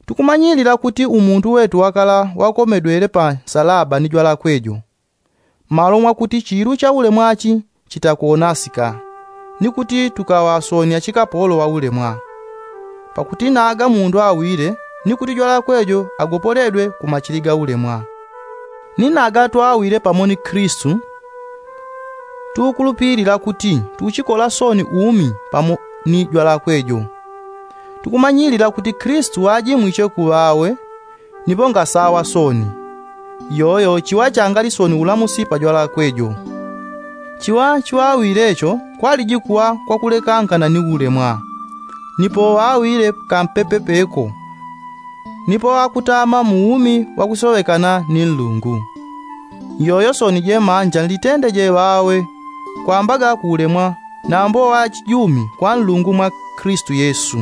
Tukumanyilila kuti umuntu wetu wakala wakomedwele pa nsalaba ni jwalakwe jo malo mwakuti chilu cha ulemwa chi chitakonasika, ni kuti tukaŵa soni achikapolo ŵa ulemwa. Pakuti naga mundu awile ni kuti jwalakwe jo agopoledwe ku machili ga ulemwa. Ni naga twawile pamo ni kristu tukulupilila kuti tuchikola soni umi pamo ni jwalakwe jo. Tukumanyilila kuti kristu ŵajimwiche kuŵawe nipo ngasaŵa soni. Yoyo chiŵa changali soni ulamusi pa jwalakwe jo. Chiŵa chiŵawile cho kwaliji kuŵa kwakulekangana ni ulemwa. Nipo ŵawile kampepe peko nipo ŵakutama mu umi wakusoŵekana ni nlungu. Yoyo soni jemanja nlitendeje ŵawe kwambaga kuulemwa nambo ŵachijumi kwa nlungu mwa kristu yesu.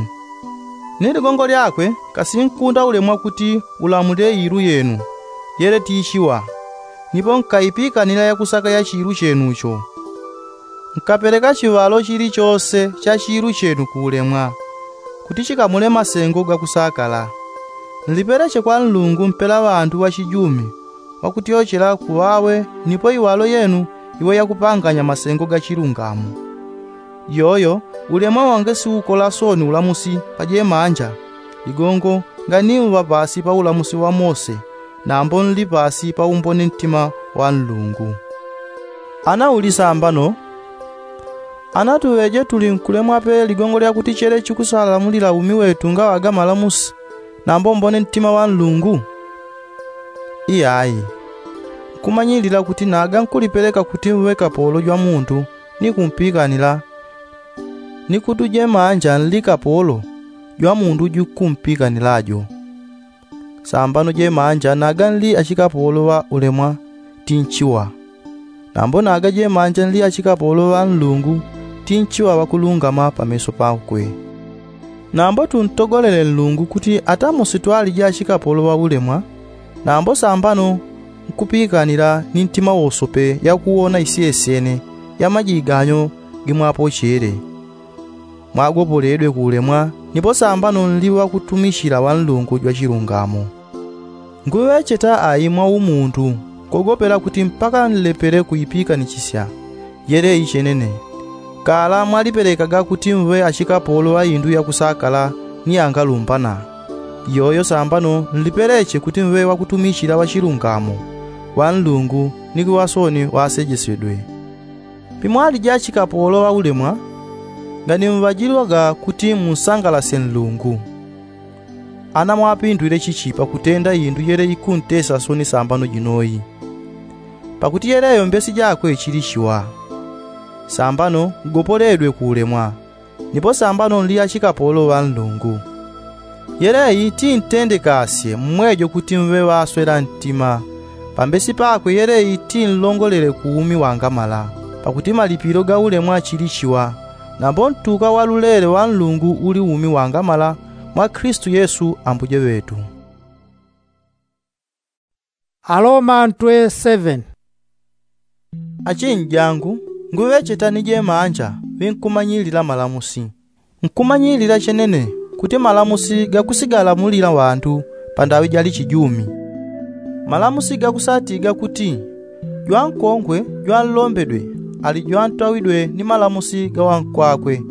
Ni ligongo lyakwe kasinkunda ulemwa kuti ulamulile ilu yenu yele tichiŵa. Nipo nkaipikanila yakusaka ya chilu chenucho. Nkapeleka chiŵalo chilichose cha chilu chenu kuulemwa kuti chikamule masengo gakusakala. Nlipeleche kwa nlungu mpela ŵandu ŵachijumi ŵakutyochela kuŵawe nipo iŵalo yenu iŵe yakupanganya masengo ga chilungamo. Yoyo ulemwa wange siukola soni ulamusi pa jemanja. Ligongo nganiuŵa pasi pa ulamusi wa mose nambo nli pasi pa umbone ntima wa nlungu. Ana uli sambano? Ana tuŵeje tuli nkulemwa pe ligongo lyakuti chele chikusalamulila umi wetu ngaŵaga malamusi nambo umbone ntima wa nlungu? Iyayi. Nkumanyilila kuti naga nkulipeleka kuti mŵe kapolo jwa mundu ni kumpikanila ni kuti jemanja nli kapolo jwa mundu jukumpikanila jo. Sambano jemanja naga nli achikapolo ŵa ulemwa tinchiŵa. Nambo naga jemanja nli achikapolo ŵa nlungu tinchiŵa ŵakulungama pameso pakwe. Nambo tuntogolele nlungu kuti atamosi twaliji achikapolo ŵa ulemwa nambo sambano nkupikanila ni ntima wosope yakuwona isyesyene ya majiganyo gimwapochele. mwagopoledwe ku ulemwa, nipo sambano nli wakutumichila wanlungu jwa chilungamo. Nguŵecheta ayi mwa umuntu kogopela kuti mpaka nlepele kuipikanichisya. Yeleyi chenene, kala mwalipelekaga kuti mŵe achikapolo ŵa indu yakusakala ni angalumbana. Iyoyo sambano nlipeleche kuti mŵe wakutumichila ŵachilungamo, ŵanlungu ni kuŵa sooni ŵasejesedwe. Pimwaliji achikapolo ŵa ulemwa, nganimuŵajilwaga kuti munsangalasye nlungu. Ana mwapindwile chichi pakutenda indu yele ikuntesa sooni sambano jinoyi. Pakuti yeleyo mbesi jakwe chili chiwa. Sambano ngopoledwe ku ulemwa, nipo sambano nli achikapolo ŵa nlungu. Yeleyi tintendekasye mmwejo kuti mŵe ŵaswela ntima. Pambesi pakwe yeleyi tinlongolele ku umi wangamala. Pakuti malipilo ga ulemwa chili chiwa, nambo ntuka wa lulele wa nlungu uli umi wangamala mwa kristu yesu ambuje ŵetu. Aloma ntwe seven. Achinjangu, nguŵecheta ni jemanja ŵinkumanyilila malamusi. Nkumanyilila chenene kuti malamusi gakusigalamulila ŵandu pandaŵi jali chijumi. Malamusi gakusatiga kuti jwankongwe jwanlombedwe ali jwantawidwe ni malamusi ga wankwakwe.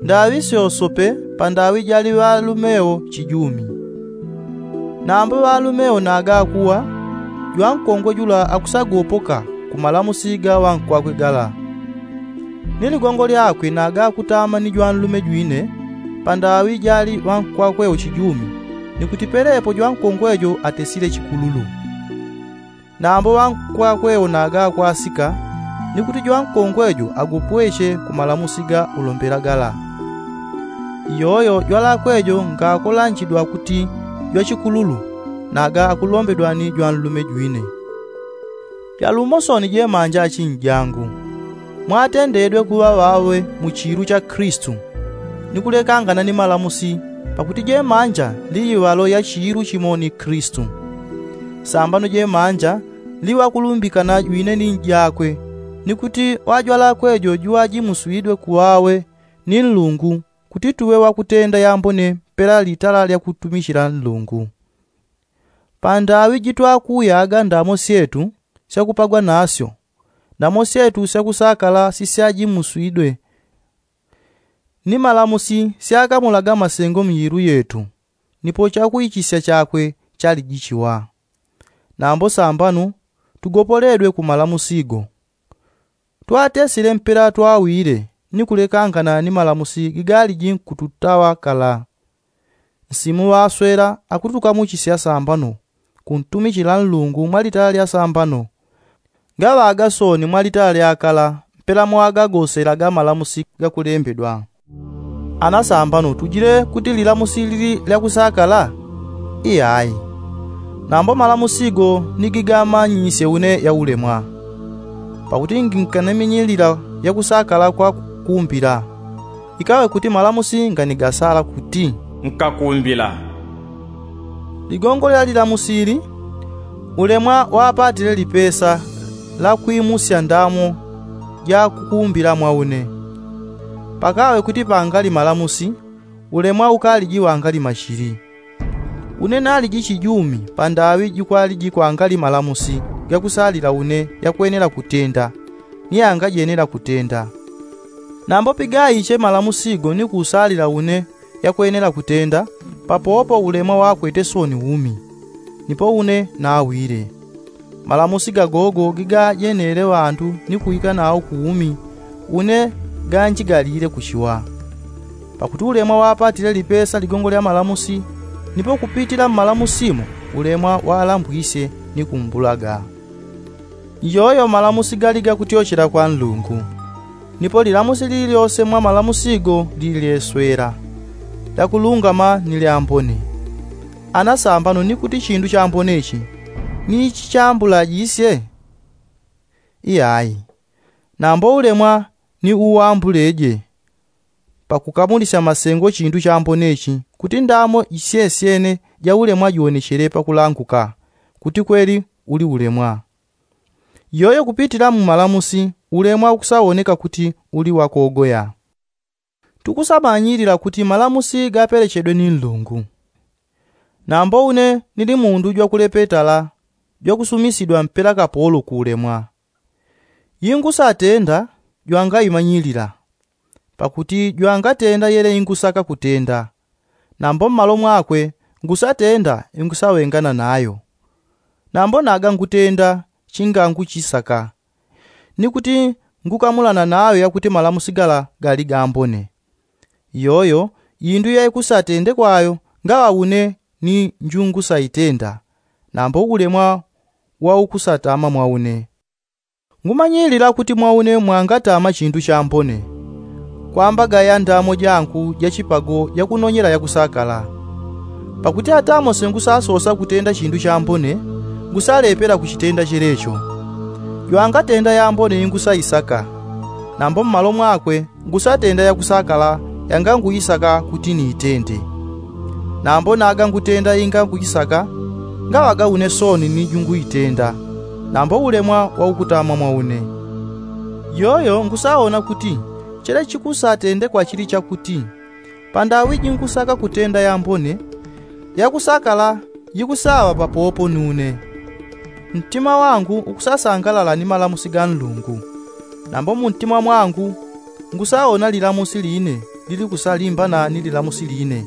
Ndaŵi syosope pandaŵi jali ŵalumeo chijumi. Nambo ŵalumeo naga akuwa, jwankongwe jula akusagopoka ku malamusi ga wankwakwe gala. Ni ligongo lyakwe naga akutama ni jwanlume jwine pandaŵi jali ŵankwakwe uchijumi, ni kuti pelepo jwankongwe jo atesile chikululu. Nambo ŵankwakwe wo naga akwasika, ni kuti jwankongwe jo agopweche ku malamusi ga ulombela gala. Iyoyo jwalakwe jo ngakolanjidwa kuti jwachikululu, naga akulombedwa ni jwanlume jwine. Jalumo sooni jemanja achinjangu, mwatendedwe kuŵa ŵawe mu chiilu cha kristu, ni kulekangana ni malamusi, pakuti jemanja nli iŵalo ya chiilu chimo ni kristu. Sambano jemanja nli ŵakulumbikana jwine ni njakwe, ni kuti ŵajwalakwe jo juŵajimuswidwe ku ŵawe ni nlungu, kuti tuŵe ŵakutenda yambone mpela litala lya kutumichila nlungu. Pandaŵi jitwakuyaga ndamo syetu syakupagwa nasyo, ndamo syetu syakusakala sisyajimuswidwe ni malamusi syakamulaga masengo myilu yetu, nipo chakuichisya chakwe chaliji chiwa. Nambo sambano tugopoledwe ku malamusi go. Twatesile mpela twawile ni kulekangana ni malamusi gigaliji nkututaŵa kala. Nsimu ŵaswela akutukamuchisya sambano kuntumichila nlungu mwa litala lya sambano, ngaŵaga sooni mwa litala lya kala mpela mwagagoselaga malamusi gakulembedwa. Ana sambano tujile kuti lilamusi lili lyakusakala? Iyayi. Nambo malamusi go ni gigamanyisye une yaulemwa. Pakuti nginkanaminyilila yakusakala kwa kukumbila, ikaŵe kuti malamusi nganigasala kuti, nkakumbila. Ligongo lya lilamusi ili, ulemwa wapatile lipesa la kwimusya ndamo ja kukumbila mwa une. Pakaŵe kuti pangali malamusi, ulemwa ukaliji wangali machili. Une naliji chijumi pandaŵi jikwaliji kwangali malamusi gakusalila une yakwenela kutenda, ni yangajenela kutenda. Nambo pigaiche malamusi go ni kusalila une yakwenela kutenda, papopo ulemwa wakwete sooni umi, nipo une nawile. Malamusi gagogo gigajenele ŵandu ni kuika nawo ku umi, une ganjigalile kuchiwa. Pakuti ulemwa wapatile lipesa ligongo lya malamusi, nipo kupitila mmalamusimo ulemwa walambwisye ni kumbulaga. Iyoyo malamusi gali gakutyochela kwa nlungu. Nipo lilamusi lili lyose mwa malamusi go lili lyeswela, lyakulungama ni lyambone. Ana sambano ni kuti chindu chambone ichi ni ichi chambulajisye? Iyayi. Nambo ulemwa ni uwambuleje pakukamulisya masengo chindu chambone ichi, kuti ndamo jisyesyene ja ulemwa jiwonechele pakulanguka kuti kweli uli ulemwa. Iyoyo kupitila mu malamusi ulemwa ukusawoneka kuti uli wakogoya. Tukusamanyilila kuti malamusi gapelechedwe ni nlungu. Nambo une nili mundu jwakulepetala jwakusumisidwa mpela kapolo ku ulemwa. Ingusatenda jwangaimanyilila, pakuti jwangatenda yele ingusaka kutenda. Nambo mmalo mwakwe ngusatenda ingusawengana nayo. Nambo naga ngutenda chinganguchisaka, ni kuti ngukamulana nayo yakuti malamusi gala gali gambone. Iyoyo indu yaikusatendekwayo ngaŵa une ni njungusaitenda, nambo ulemwa waukusatama mwa une. Ngumanyilila kuti mwa une mwangatama chindu chambone, kwamba gaya ndamo jangu jachipago jakunonyela yakusakala. Pakuti atamo sengusasosa kutenda chindu chambone, ngusalepela kuchitenda chelecho. Jwangatenda yambone ingusaisaka, nambo mmalo mwakwe ngusatenda yakusakala yanganguisaka kuti niitende. Nambo naga ngutenda ingangujisaka, ngaŵaga une soni ni junguitenda, nambo ulemwa waukutamwa mwa une. Iyoyo ngusaona kuti chele chikusatendekwa chili chakuti, pandaŵi jingusaka kutenda yambone, yakusakala jikusaŵa papopo ni une. Ntima wangu ukusasangalala ni malamusi ga nlungu. Nambo muntima mwangu ngusaona lilamusi line lilikusalimbana ni lilamusi line,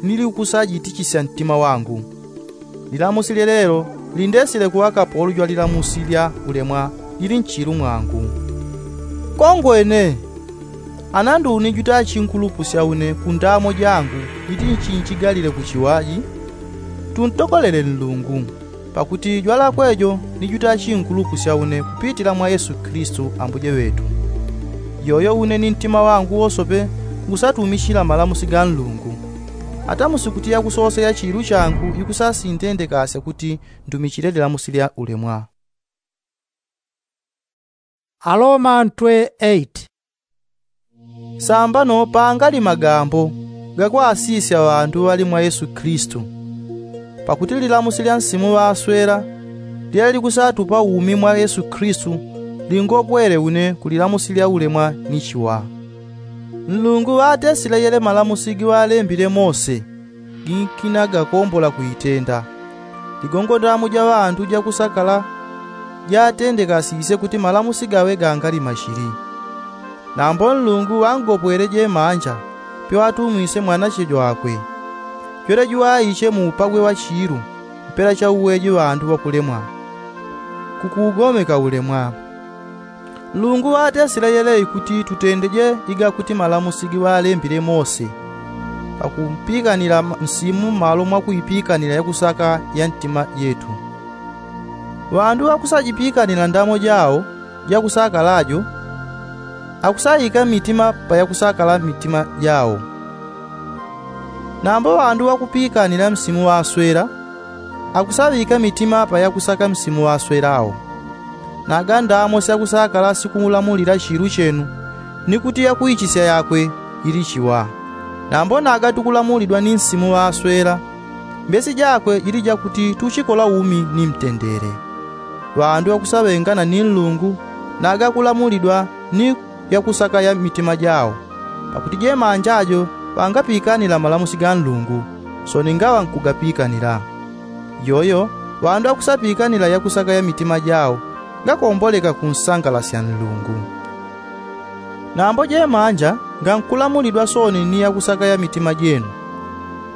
nilikusajitichisya ntima wangu. Lilamusi lyelelo lindesile kuŵa kapolo jwa lilamusi lya ulemwa lili nchilu mwangu. Kongwene, ana nduni jutachinkulupusya une ku ndamo jangu iti nchinchigalile kuchiwaji, tuntokolele nlungu, pakuti jwalakwe jo ni jutachinkulupusya une kupitila mwa yesu kilisitu ambuje ŵetu. Yoyo une ni ntima wangu wosope ngusatumichila malamusi ga nlungu. Ata musikuti yakusosela chilu changu ikusasintendekasya kuti ndumichile lilamusi lya ulemwa. Aloma ntwe eight. Sambano pangali magambo gakwasisya ŵandu ŵali mwa yesu kilisitu. Pakuti lilamusi lya nsimu ŵaswela lyele likusatupa umi mwa yesu kilisitu, lingopwele une ku lilamusi lya ulemwa ni chiwa. Nlungu ŵatesile yele malamusi giŵalembile mose, ginkina gakombola kuitenda. Ligongo ndamo ja ŵandu jakusakala jatendekasisye kuti malamusi gaŵe gangali machili. Nambo nlungu ŵangopwele jemanja, pyoŵatumwisye mwanache jwakwe, jwele juŵaiche mu upagwe wa chilu mpela cha uweji ŵandu ŵakulemwa, kukuugomeka ulemwa. Nlungu ŵatesile yele ikuti tutendeje igakuti malamusi giŵalembile mose, pakumpikanila nsimu mmalo mwa kuipikanila yakusaka ya ntima jetu. Ŵandu ŵakusajipikanila ndamo jao jakusakala jo, akusaika mitima pa yakusakala mitima jao. Nambo ŵandu ŵakupikanila nsimu ŵaswela, akusaŵika mitima pa yakusaka nsimu ŵaswelao. Naga ndamo syakusakala sikulamulila chilu chenu, ni kuti yakuichisya yakwe ili chiwa. Nambo naga tukulamulidwa ni nsimu ŵaswela, mbesi jakwe jili jakuti tuchikola umi ni mtendele. Ŵandu ŵakusaŵengana ni nlungu naga kulamulidwa ni yakusaka ya mitima jao, pakuti jemanja jo ŵangapikanila malamusi ga nlungu, soni ngaŵa nkugapikanila. Yoyo ŵandu ŵakusapikanila yakusaka ya mitima jao ngakomboleka kunsangalasya nlungu. Nambo jemanja ngankulamulidwa soni ni yakusaka ya mitima jenu,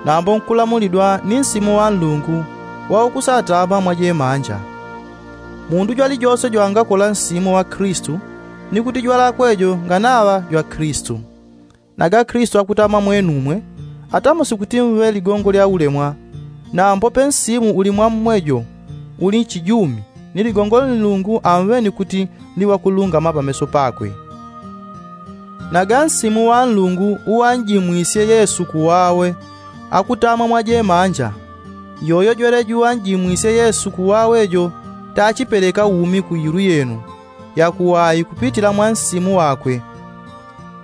nambo nkulamulidwa ni nsimu wa nlungu waukusatama mwa jemanja. Mundu jwalijose jwangakola nsimu wa kilisitu, ni kuti jwalakwe jo nganaŵa jwa kilisitu. Naga kilisitu akutama mwenumwe, ata musikuti mŵe ligongo lya ulemwa, nambo pe nsimu uli mwa mmwe jo uli nchijumi, ni ligongo nlungu amweni kuti ni ŵakulungama pameso pakwe. Naga nsimu wa nlungu uŵanjimwisye yesu kuwawe akutama mwa jemanja. Yoyo jwele juŵanjimwisye yesu kuwawe jo tachipeleka umi ku ilu yenu yakuwai kupitila mwa nsimu wakwe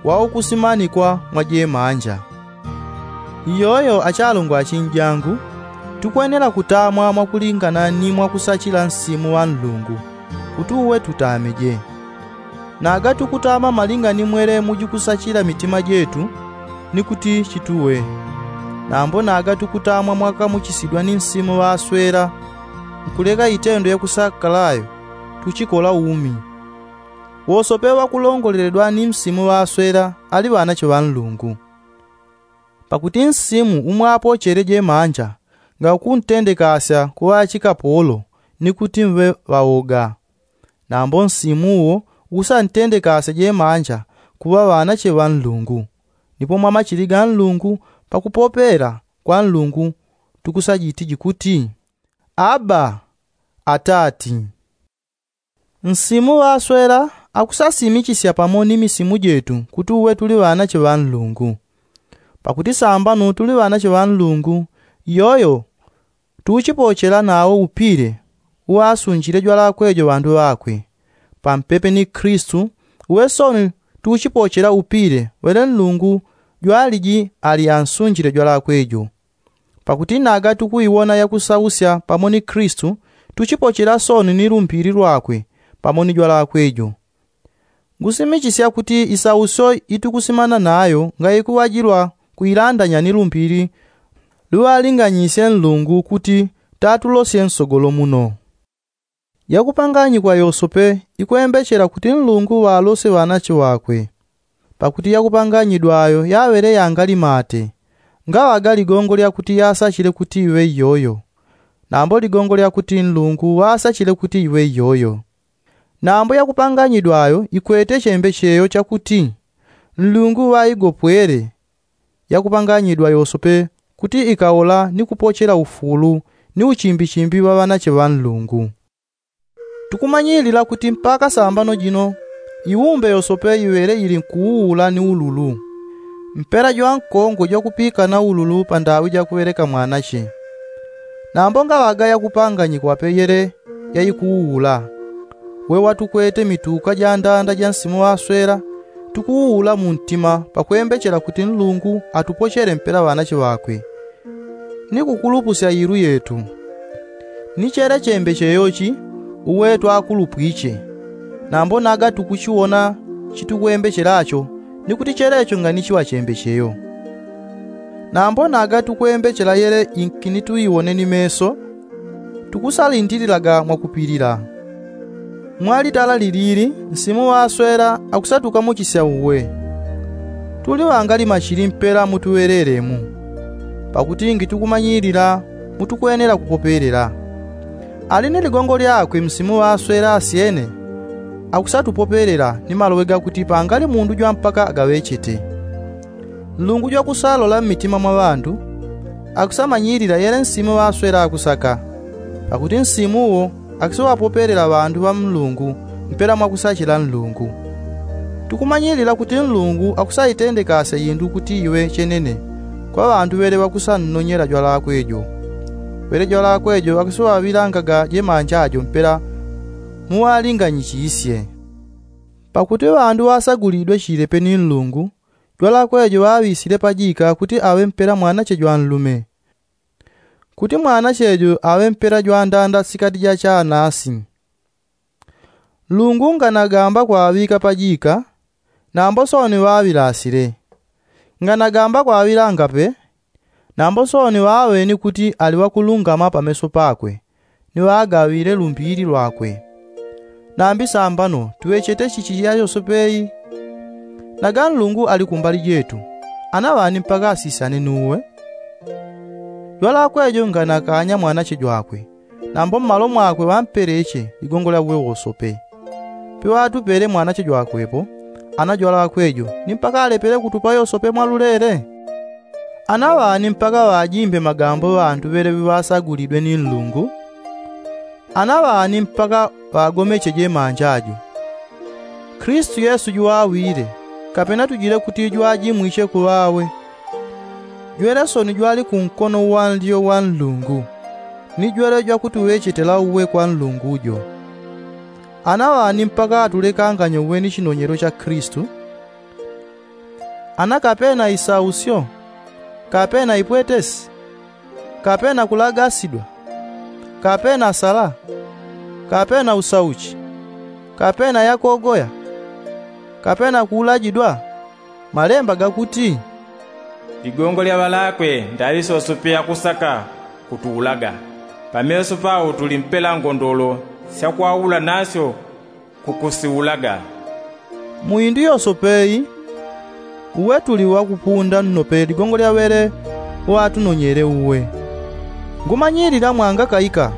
waukusimanikwa mwa jemanja. Iyoyo achalungwa achinjangu, tukwenela kutamwa mwakulingana ni mwakusachila nsimu wa nlungu, kuti uwe tutameje. Naga tukutama malinga ni mwele mujikusachila mitima jetu ni kuti chituwe. Nambo naga tukutama mwakamuchisidwa ni nsimu ŵaswela nkuleka itendo yakusakalayo tuchikola umi. Wosope ŵakulongoleledwa ni nsimu ŵaswela ali ŵanache ŵa nlungu. Pakuti nsimu umwapochele jemanja nga ukuntendekasya kuŵa achikapolo ni kuti mŵe ŵawoga. Nambo nsimu uwo ukusantendekasya jemanja kuŵa ŵanache ŵa nlungu. Nipo mwamachili ga nlungu pakupopela kwa nlungu tukusajitiji kuti, aba, atati. Nsimu ŵaswela akusasimichisya pamo ni misimu jetu kuti uwe tuli ŵanache ŵa nlungu. Pakuti sambano tuli ŵanache ŵa nlungu, iyoyo tuuchipochela nawo upile uwasunjile jwalakwe jo ŵandu ŵakwe. Pampepe ni kristu, uwe soni tuuchipochela upile wele nlungu jwaliji ali ansunjile jwalakwe jo. Pakuti naga tukuiwona yakusausya pamo ni kristu, tuchipochela soni ni lumbili lwakwe pamo ni jwalakwe jo. Ngusimichisya kuti isausyo itukusimana nayo ngaikuŵajilwa kuilandanya ni lumbili luŵalinganyisye nlungu kuti tatulosye nsogolo muno. Yakupanganyikwa yosope ikwembechela kuti nlungu ŵalosye ŵanache ŵakwe. Pakuti yakupanganyidwa ayo yaŵele yangali mate, ngaŵaga ligongo lyakuti yasachile kuti iŵe iyoyo. Nambo ligongo lyakuti nlungu ŵasachile kuti iŵe iyoyo. Nambo yakupanganyidwa ayo ikwete chembecheyo chakuti nlungu ŵaigopwele. Yakupanganyidwa yosope kuti ikaola ni kupochela ufulu ni uchimbichimbi ŵa ŵanache ŵa nlungu. Tukumanyilila kuti mpaka sambano jino iumbe yosope iŵele ili nkuuula ni ululu. Mpela jwankongo jwakupikana ululu pandaŵi jakuŵeleka mwanache. Nambo ngaŵaga yakupanganyikwa pe yele yaikuuula. Wewa tukwete mituka jandanda ja nsimu ŵaswela tukuuula muntima pakwembechela kuti nlungu atupochele mpela ŵanache ŵakwe. Ni kukulupusya ilu yetu ni chele chembecheyo chi uwe twakulupwiche. Nambo naga tukuchiwona chitukwembechelacho ni kuti chelecho nga ni chiŵa chembecheyo. Nambo naga tukwembechela yele inki ni tuiwone ni meso, tukusalindililaga mwakupilila. Mwalitala lilili nsimu ŵaswela akusatukamuchisya uwe. Tuli ŵangali machili mpela mutuŵelelemu. Pakuti ngi tukumanyilila mutukwenela kupopelela. Ali ni ligongo lyakwe msimu ŵaswela asyene akusatupopelela ni maloŵe gakuti pangali mundu jwampaka agaŵechete. Nlungu jwakusalola mmitima mwa ŵandu akusamanyilila yele nsimu ŵaswela akusaka. Pakuti nsimu uwo akusiŵapopelela ŵandu ŵa nlungu mpela mwakusachila nlungu. Tukumanyilila kuti nlungu akusaitendekasya indu kuti iŵe chenene kwa ŵandu ŵele ŵakusannonyela jwalakwe jo. Ŵele jwalakwe jo akusiŵaŵilangaga jemanja jo mpela muŵalinganyichisye. Pakuti ŵandu ŵasagulidwe chilepe ni nlungu jwalakwe jo ŵaŵisile pajika kuti aŵe mpela mwanache jwanlume. Kuti mwanache jo aŵe mpela jwandanda sikati ja chanasi. Nlungu nganagamba kwaŵika pajika, nambo soni ŵaŵilasile. Nganagamba kwaŵilanga pe, nambo soni ŵaweni kuti ali ŵakulungama pameso pakwe ni ŵagaŵile lumbili lwakwe. Nambi sambano tuŵechete chichi ya yosope i? Naga nlungu ali kumbali jetu, anaŵani mpaka asisyane nuwe? Jwalakwe jo nganakanya mwanache jwakwe, nambo mmalo mwakwe ŵampeleche ligongo lya uwe wosope. Piŵatupele mwanache jwakwepo, ana jwalakwe jo ni mpaka alepele kutupa yosope mwalulele? Ana ŵani mpaka ŵajimbe magambo ŵandu ŵele ŵiŵasagulidwe ni nlungu? Ana ŵani mpaka ŵagomeche jemanja jo? Kristu yesu juŵawile, kapena tujile kuti jwajimwiche kuŵawe? Jwele soni jwali kunkono uwanlyo wa nlungu, ni jwele jwakutuŵechetela uwe kwa nlungu jo. Ana ŵani mpaka atulekanganye uwe ni chinonyelo cha kristu? Ana kapena isausyo, kapena ipwetesi, kapena kulagasidwa, kapena sala, kapena usauchi, kapena yakogoya? kapena kuulajidwa? Malemba gakuti, ligongo lya ŵalakwe ndaŵi sosope yakusaka kutuulaga, pameso pao tuli mpela ngondolo syakwaula nasyo kukusiulaga. Mu indu yosope i uwe tuli wakupunda nnope ligongo lya ŵele watunonyele uwe. Ngumanyilila mwangakaika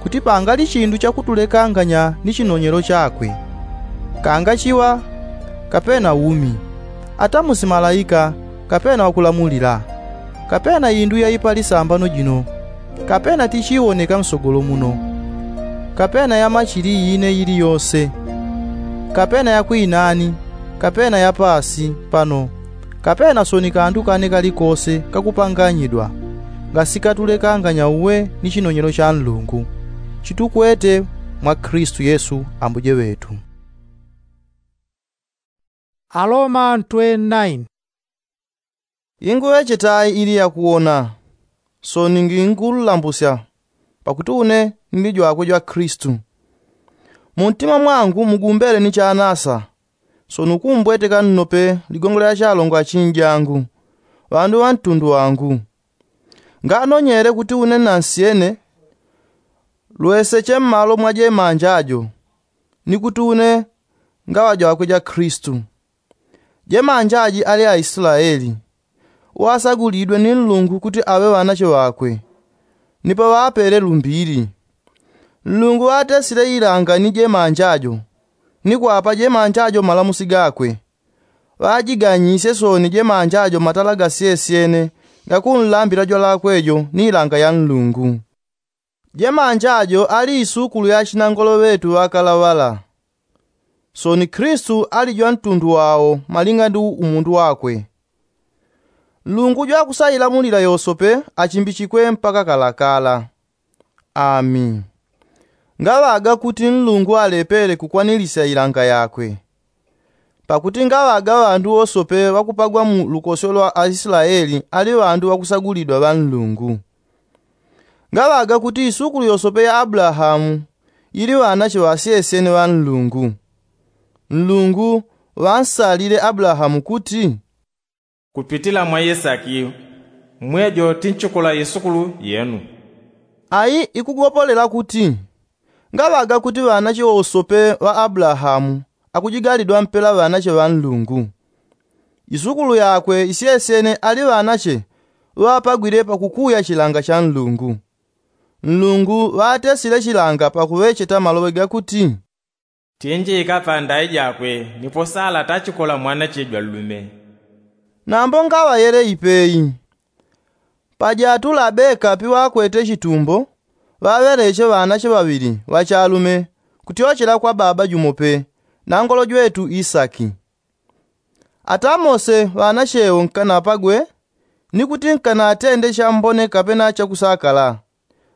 kuti pangali chindu chakutulekanganya ni chinonyelo chakwe, kangachiŵa kapena umi, ata musi malaika kapena wakulamulila, kapena indu yaipa lisambano jino, kapena tichiwoneka nsogolo muno, kapena ya machili ine iliyose, kapena ya kwinani, kapena ya paasi pano, kapena soni kandu kane kalikose kakupanganyidwa, ngasikatulekanganya uwe ni chinonyelo cha nlungu chitukwete mwa kristu yesu ambuje ŵetu. Aloma ntwe naini. Inguŵechetayi ili yakuwona, soni ngingululambusya, pakuti une nili jwakwe jwa kristu. Muntima mwangu mugumbele ni chanasa, soni ukumbweteka nnope ligongo lya chalongo achinjangu, ŵandu ŵa ntundu wangu. Nganonyele kuti une nansyene lweseche mmalo mwa jemanja jo, ni kuti une ngaŵa jwakwe ja kristu. Jemanja ji ali aislaeli, uŵasagulidwe ni nlungu kuti aŵe ŵanache ŵakwe, ni paŵapele lumbili. Nlungu ŵatesile ilanga ni jemanja jo, ni kwapa jemanja jo malamusi gakwe. Ŵajiganyisye soni jemanja jo matala gasyesyene gakunlambila jwalakwe jo ni ilanga ya nlungu. Jemanja jo ali isukulu ya achinangolo ŵetu ŵakalaŵala. Soni kristu ali jwa ntundu wao malinga ndi umundu wakwe. Nlungu jwakusailamulila yosope achimbichikwe mpaka kalakala. Ami. Ngaŵaga kuti nlungu alepele kukwanilisya ilanga yakwe. Pakuti ngaŵaga ŵandu wosope ŵakupagwa mu lukosyo lwa aislaeli ali ŵandu ŵakusagulidwa ŵa nlungu. Ngaŵaga kuti isukulu yosope ya abulahamu ili ŵanache ŵasyesyene ŵa nlungu. Nlungu ŵansalile abulahamu kuti, kupitila mwa isaki mwejo tinchikola isukulu yenu. Ayi ikugopolela kuti ngaŵaga kuti ŵanache wosope ŵa abulahamu akujigalidwa mpela ŵanache ŵa nlungu. Isukulu yakwe isyesyene ali ŵanache ŵapagwile pakukuya chilanga cha nlungu. Nlungu ŵatesile chilanga pakuŵecheta maloŵe gakuti, tinjika pa ndai jakwe nipo sala tachikola mwanache jwa nlume. Nambo ngaŵayele ipeyi. Pajatu labeka piŵakwete chitumbo ŵaŵeleche ŵanache ŵaŵili ŵachalume kutyochela kwa baba jumo pe, nangolo jwetu isaki. Ata mose ŵanachewo nkanapagwe ni kuti nkanatende chambone kapena chakusakala,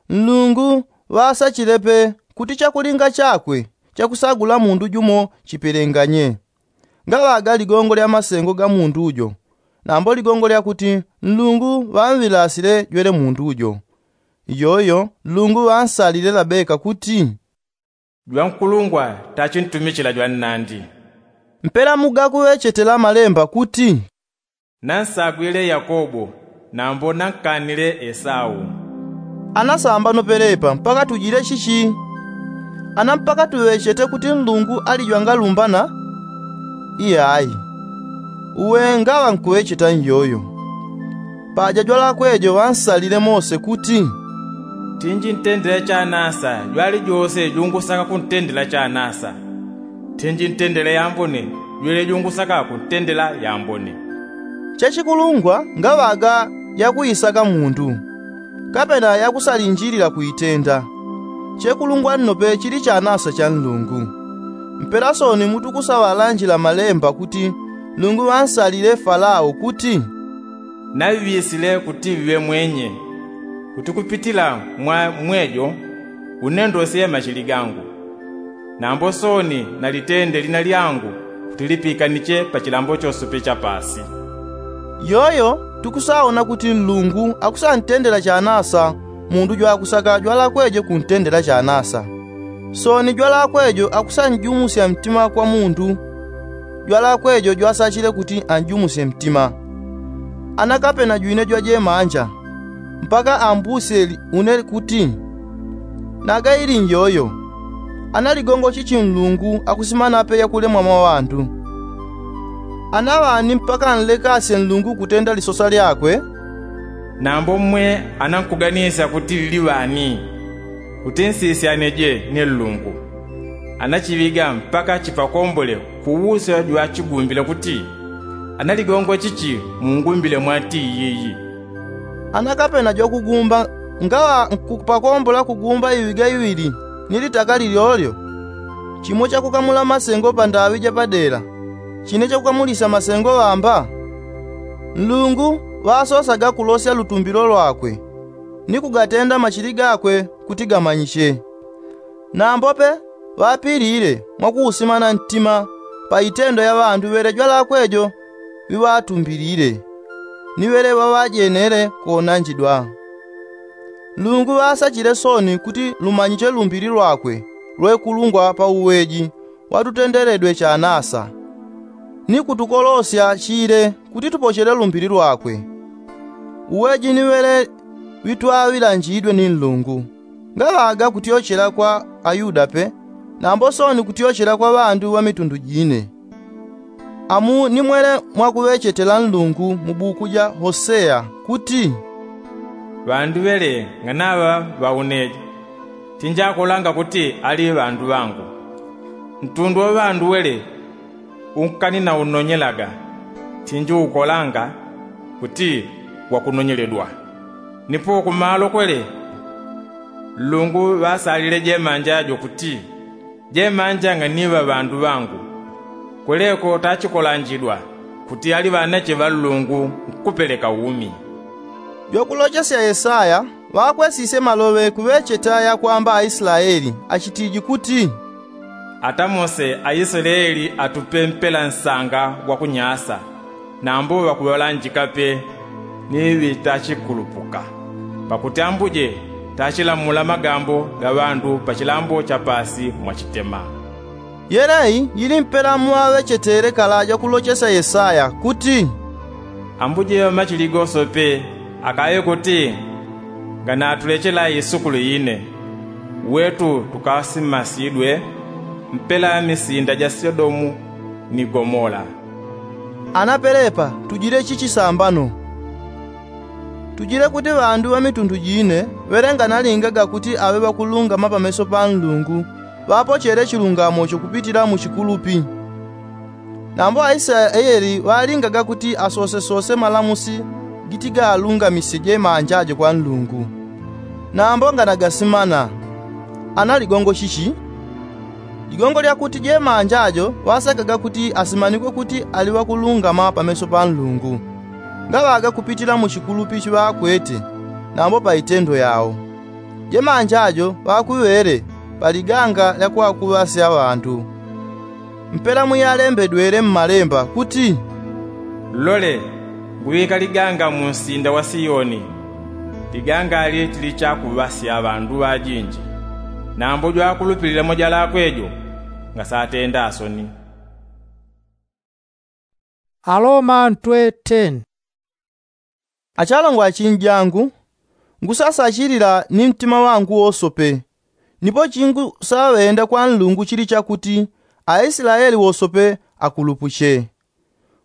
nlungu ŵasachile pe kuti chakulinga chakwe chakusagula mundu jumo chipelenganye. Ngaŵaga ligongo lya masengo ga mundu jo, nambo ligongo lyakuti nlungu ŵamŵilasile jwele mundu jo. Iyoyo nlungu ŵansalile labeka kuti, jwankulungwa tachintumichila jwannandi. Mpela mugakuŵechetela malemba kuti, nansagwile yakobo nambo nankanile esau. Ana sambano pelepa mpaka tujile chichi? Ana mpaka tuŵechete kuti nlungu ali jwangalumbana? Iyayi. Uwe ngaŵa nkuŵecheta nyoyo. Paja jwalakwe jo ŵansalile mose kuti, tinjintendela chanasa jwali jose jungusaka kuntendela chanasa, tinjintendela yambone jwele jungusaka kuntendela yambone. Chechikulungwa ngaŵaga yakuisaka mundu kapena yakusalinjilila kuitenda. Chekulungwa nnope chili chanasa cha nlungu. Mpela soni mutukusaŵalanjila malemba kuti nlungu ŵansalile falao kuti, naŵisile kuti ŵiŵe mwenye kuti kupitila mwa mwejo unendosye machili gangu. Nambo soni nalitende lina lyangu kuti lipikaniche pa chilambo chosope cha pasi. Yoyo tukusaona kuti nlungu akusantendela chanasa mundu jwakusaka jwalakwejo kuntendela chanasa. Soni jwalakwejo akusanjumusya mtima kwa mundu jwalakwe jo jwasachile kuti anjumusye mtima. Anakapena jwine jwajemanja mpaka ambusyeli une kuti, naga ili njoyo? Ana ligongo chichi nlungu akusimanape yakulemwa mwa ŵandu? Ana ŵani mpaka nlekasye nlungu kutenda lisosa lyakwe? Nambo mmwe anankuganisya kuti lili ŵani, kuti nsisyaneje ni nlungu. Anachiŵiga mpaka chipakombole kuwusya jwachigumbile kuti, ana ligongo chichi mungumbile mwati iyiyi? Ana kapena jwakugumba ngaŵa nkupakombola kugumba iŵiga iŵili ni litaka lilyolyo, chimo chakukamula masengo pandaŵi japadela, chine chakukamulisya masengo ŵamba? Nlungu ŵasosaga kulosya lutumbilo lwakwe ni kugatenda machili gakwe kuti gamanyiche. Nambope ŵapilile mwakuusimana ntima pa itendo ya ŵandu ŵele jwalakwe jo ŵiŵatumbilile ni ŵele ŵaŵajenele kuonanjidwa. Nlungu ŵasachile soni kuti lumanyiche lumbili lwakwe lwekulungwa pa uweji watutendeledwe chanasa, ni kutukolosya chile kuti tupochele lumbili lwakwe. Uweji ni ŵele ŵitwaŵilanjidwe ni nlungu, ngaŵaga kutyochela kwa ayuda pe, nambo soni kutyochela kwa ŵandu ŵa mitundu jine. Amu ni mwele mwakuŵechetela nlungu mu buku ja hoseya kuti, ŵandu ŵele nganaŵa ŵauneje, tinjakolanga kuti ali ŵandu ŵangu. Ntundu wa ŵandu wele unkaninaunonyelaga, tinjiukolanga kuti wakunonyeledwa. Nipo kumalo kwele nlungu ŵasalile jemanja jo kuti, jemanja nganiŵa ŵandu ŵangu. Kweleko tachikolanjidwa kuti ali ŵanache ŵa nlungu nkupeleka umi. Jwakulochesya yesaya ŵakwesisye maloŵe kuŵecheta yakwamba aislaeli achitiji kuti, ata mose aislaeli atupe mpela nsanga gwakunyasa, nambo ŵakuŵalanjika pe ni ŵitachikulupuka. Pakuti ambuje tachilamula magambo ga ŵandu pa chilambo cha pasi mwachitema. Yeleyi yili mpela mwaŵechetele kalaja kulochesya yesaya kuti, ambuje ŵamachili gosope akaŵe kuti nganatulechela isukulu ine, wetu tukasimasidwe mpela misinda ja sodomu ni gomola. Ana pelepa tujile chichisambano. Tujile kuti ŵandu ŵa mitundu jine ŵele nganalingaga kuti aŵe ŵakulungama pameso pa nlungu ŵapochele chilungamo chokupitila mu chikulupi. Nambo aislaeli ŵalingaga kuti asosesose malamusi giti gaalungamisye jemanja jo kwa nlungu. Nambo nganagasimana. Ana ligongo chichi? Ligongo lyakuti jemanja jo ŵasekaga kuti asimanikwe kuti ali ŵakulungama pameso pa nlungu, ngaŵaga kupitila mu chikulupi chiŵakwete nambo pa itendo yao. Jemanja jo ŵakuŵele pa liganga lya kwakuŵasya ŵandu. Mpela mwiyalembedwele mmalemba kuti, lole, nguŵika liganga mu nsinda wa siyoni, liganga ali tili chakuŵasya ŵandu ŵajinji. Nambo jwakulupilila mwajalakwe jo ngasatenda soni. Aloma ntwe ten. Achalongo achinjangu, ngusasachilila ni mtima wangu wosope. Nipo chingusaŵenda kwa nlungu chili chakuti aislaeli wosope akulupuche.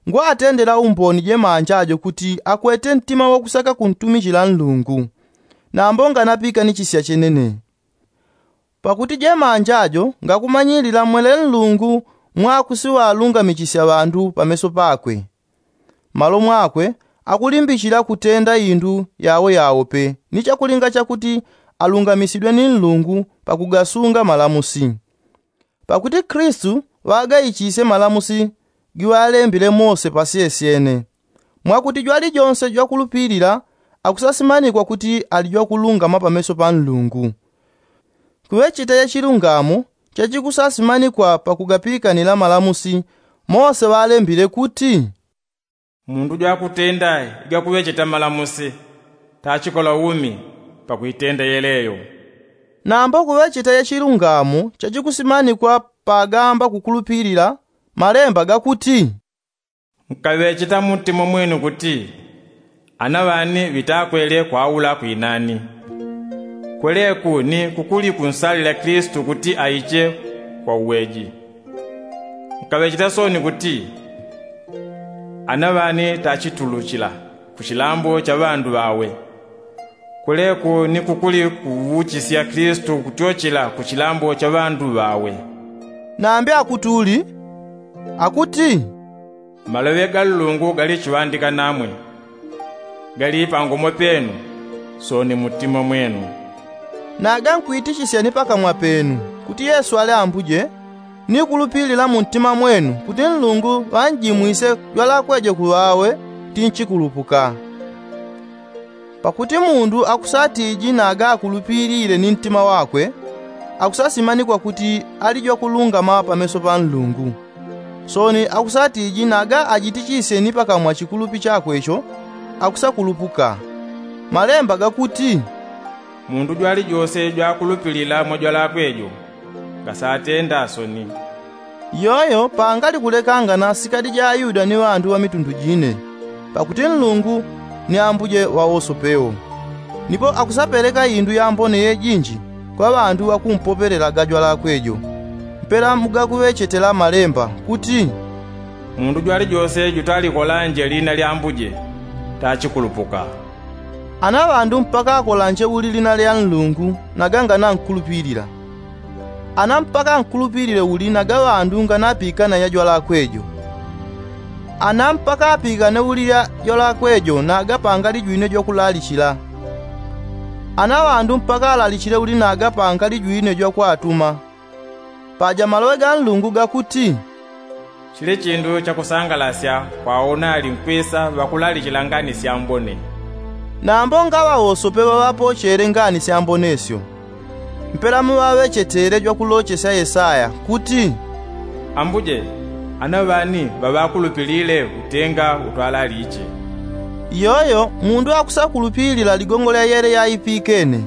Ngwatendela umboni jemanja jo kuti akwete mtima wakusaka kuntumichila nlungu, nambo nganapika ni chisya chenene. Pakuti jemanja jo ngakumanyilila mwele nlungu mwakusiŵalungamichisya ŵandu pameso pakwe. Malo mwakwe akulimbichila kutenda indu yawo yawo pe ni chakulinga chakuti alungamisidwe ni nlungu pakugasunga malamusi. Pakuti kristu ŵagaichisye malamusi giŵalembile mose pasyesyene, mwakuti jwalijonse jwakulupilila akusasimanikwa kuti ali jwakulungama pameso pa nlungu. Kuŵecheta ya chilungamo chachikusasimanikwa pakugapikanila malamusi mose ŵalembile kuti, mundu jwakutenda igakuŵecheta malamusi tachikola umi pakuitenda yeleyo. Nambo kuŵecheta ya chilungamo chachikusimanikwa pagamba kukulupilila Malemba gakuti, nkaŵecheta muntima mwenu kuti ana ŵani ŵitakwele kwaula kwinani. Kweleku ni kukuli kunsalila kilisito kuti aiche kwa uweji. Nkaŵecheta sooni kuti ana ŵani tachituluchila ku chilambo cha ŵandu ŵawe. Kweleku ni kukuli kuuchisya kilisito kutyochela ku chilambo cha ŵandu ŵawe. Nambi akutuli akuti, maloŵe ga nlungu gali chiŵandika namwe, gali pangomo penu, sooni muntima mwenu. Naga nkwitichisya ni pakamwa penu kuti yesu ali ambuje, ni kulupilila muntima mwenu kuti nlungu ŵanjimwise jwalakwe jo ku ŵawe, tinchikulupuka. Pakuti mundu akusatiji naga akulupilile ni ntima wakwe, akusasimanikwa kuti ali jwakulungama pameso pa nlungu. Sooni akusatiji naga ajitichisye ni pakamwa chikulupi chakwe cho, akusakulupuka. Malemba gakuti, mundu jwalijose jwakulupilila mwa jwalakwe jo, ngasatenda soni. Yoyo pangali kulekangana sikadi ja ayuda ni ŵandu ŵa mitundu jine, pakuti nlungu ni ambuje ŵa wosope wo. Nipo akusapeleka indu yambone yejinji kwa ŵandu ŵakumpopelelaga jwalakwe jo. Mpela mugakuŵechetela malemba kuti, mundu jwalijose jutalikolanje lina lya ambuje, tachikulupuka. Ana ŵandu mpaka akolanje uli lina lya nlungu, naga nganankulupilila. Ana mpaka ankulupilile uli naga ŵandu nganapikana ya jwalakwe jo. Ana mpaka apikane uli lya jwalakwe jo naga pangali jwine jwakulalichila. Ana ŵandu mpaka alalichile uli naga pangali jwine jwakwatuma. Paja maloŵe ga nlungu gakuti, chili chindu chakusangalasya kwa awo nali nkwisa ŵakulalichila ngani syambone. Nambo ngaŵa wosope ŵaŵapochele ngani syambone syo. Mpela muŵaŵechetele jwakulochesya yesaya kuti, ambuje, ana ŵani ŵaŵakulupilile utenga utwalaliche. Iyoyo mundu akusakulupilila ligongo lya yele yaipikene.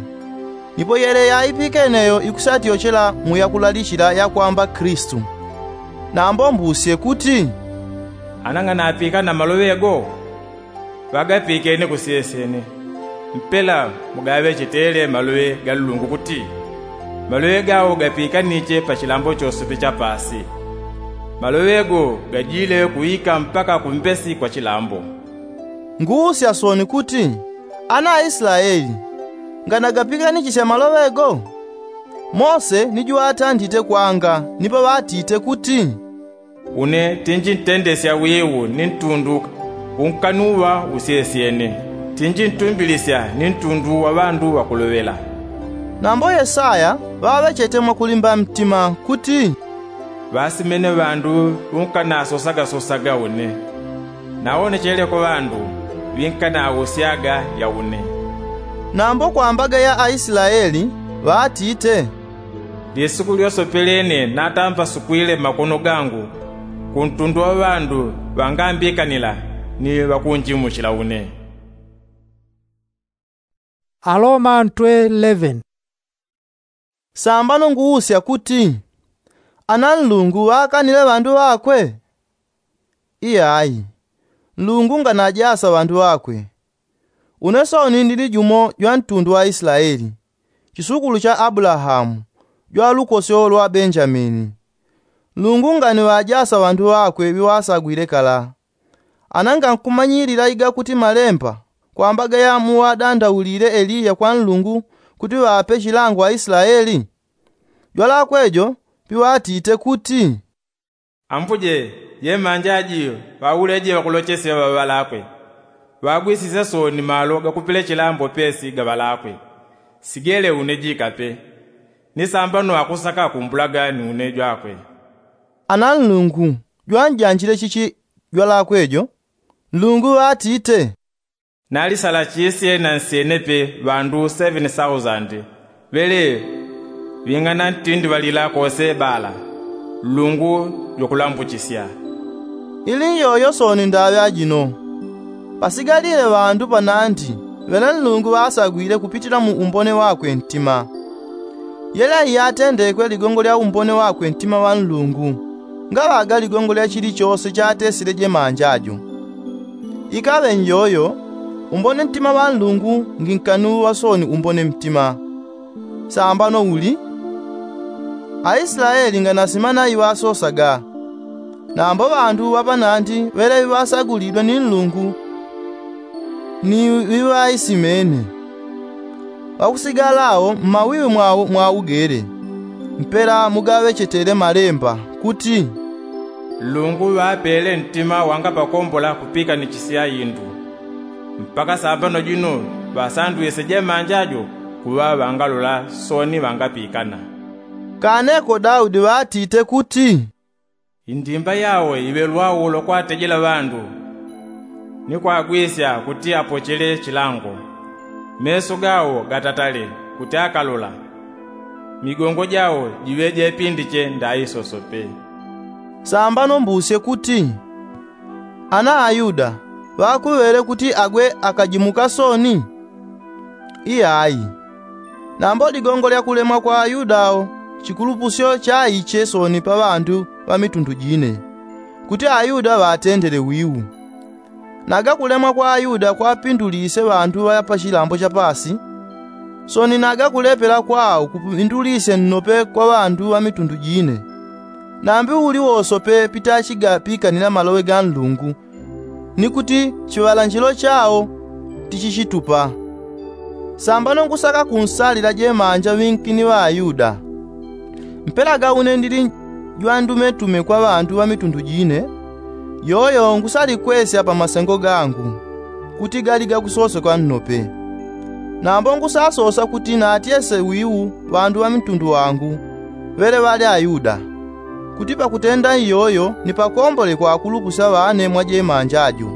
Nipo yele yaipikene yo ikusatyochela mu yakulalichila yakwamba kilisito. Nambo mbusye kuti, ana nganapikana maloŵe go? Ŵagapikene kusyesyene. Mpela mugaŵechetele maloŵe ga nlungu kuti, maloŵe gao gapikaniche pa chilambo chosepe cha paasi. Maloŵe go gajile kuika mpaka kumbesi kwa chilambo. Nguusya sooni kuti, ana aislaeli, nganagapiganichisya maloŵe go? Mose ni juŵatandite kwanga nipo ŵatite kuti, une tinjintendesya wiu ni ntundu unkanuŵa usyesyene, tinjintumbilisya ni ntundu wa ŵandu ŵakuloŵela. Nambo yesaya ŵaŵechete mwakulimba mtima kuti, ŵasimene ŵandu ŵunkanasosagasosaga une, nawonechele kwa ŵandu ŵinkanawosyaga ya une. Nambo kwambaga ya aislaeli ŵatite, lisuku lyosopelene natambasukwile makono gangu kuntundu wa ŵandu ŵangambikanila ni ŵakunjimuchila une. Aloma ntwe eleven. Sambano nguusya kuti, ana nlungu ŵaakanile ŵandu ŵakwe? Iyayi. Nlungu nganajasa ŵandu ŵakwe. Une sooni ndili jumo jwa ntundu wa islaeli, chisukulu cha abulahamu, jwa lukosyo lwa benjamini. Nlungu nganiŵajasa ŵandu ŵakwe ŵiŵasagwile kala. Ana ngankumanyilila igakuti malemba kwambaga ya muŵadandaulile eliya kwa nlungu kuti ŵape chilango aislaeli? Jwalakwe jo piŵatite kuti, ambuje, ye manja aji ŵauleje ŵakulochesye ŵaŵalakwe, ŵagwisisye sooni malo gakupele chilambo pesi gaŵalakwe. Sigele une jikape, ni sambano akusaka kumbulaga ni une jwakwe. Ana nlungu jwanjanjile chichi jwalakwe jo? Nlungu ŵatite, nalisalachisye na nsyenepe ŵandu seven thousand ŵele ŵing'ana ntindi ŵalila kose ŵala. Nlungu jwakulambuchisya. Ili nyoyo sooni ndaŵe ajino. Pasigalile ŵandu panandi ŵene nlungu ŵasagwile kupitila mu umbone wakwe ntima. Yele iyatendekwe ligongo lya umbone wakwe ntima wa nlungu. Ngaŵaga ligongo lya chilichose chatesile jemanja jo. Ikaŵe njoyo, umbone ntima ŵa nlungu nginkani uŵa soni umbone mtima. Sambano uli, aislaeli nganasimana iŵasosaga. Nambo ŵandu ŵapanandi ŵele ŵiŵasagulidwe ni nlungu ni ŵiŵaisimene. Ŵakusigalao mmawiwi mwawo mwaugele. Mpela mugaŵechetele malemba kuti, nlungu ŵapele ntima wangapakombola kupikanichisya indu. Mpaka sambano jino ŵasandwise jemanja jo kuŵa ŵangalola soni ŵangapikana. Kaneko daudi ŵatite kuti, indimba yawo iŵe lwaulo kwatejela ŵandu, ni kwagwisya kuti apochele chilango. Meso gawo gatatale kuti akalola, migongo jawo jiŵe jepindiche ndaisosope. Sambano mbusye kuti, ana ayuda ŵakuŵele kuti agwe akajimuka soni? Iyayi. Nambo ligongo lya kulemwa kwa ayuda awo chikulupusyo chaiche soni pa ŵandu ŵa mitundu jine, kuti ayuda ŵatendele wiu. Naga kulemwa kwa ayuda kwapindulise ŵandu ŵa pachilambo cha pasi, soni naga kulepela kwao kupindulisye nnope kwa ŵandu ŵa mitundu jine. Nambi uli wosope pitachigapikanila maloŵe ga nlungu, ni kuti chiŵalanjilo chao tichichitupa. Sambano ngusaka kunsalila jemanja ŵinkini ŵa ayuda. Mpela gaune ndili jwandumetume kwa ŵandu ŵa mitundu jine, yoyo ngusalikwesya pa masengo gangu, kuti gali gakusosekwa nnope. Nambo ngusasosa kuti natyese wiu ŵandu ŵa mitundu wangu, ŵele ŵali ayuda, kuti pakutenda iyoyo nipakombole kwa akulupusya ŵane mwa jemanja jo.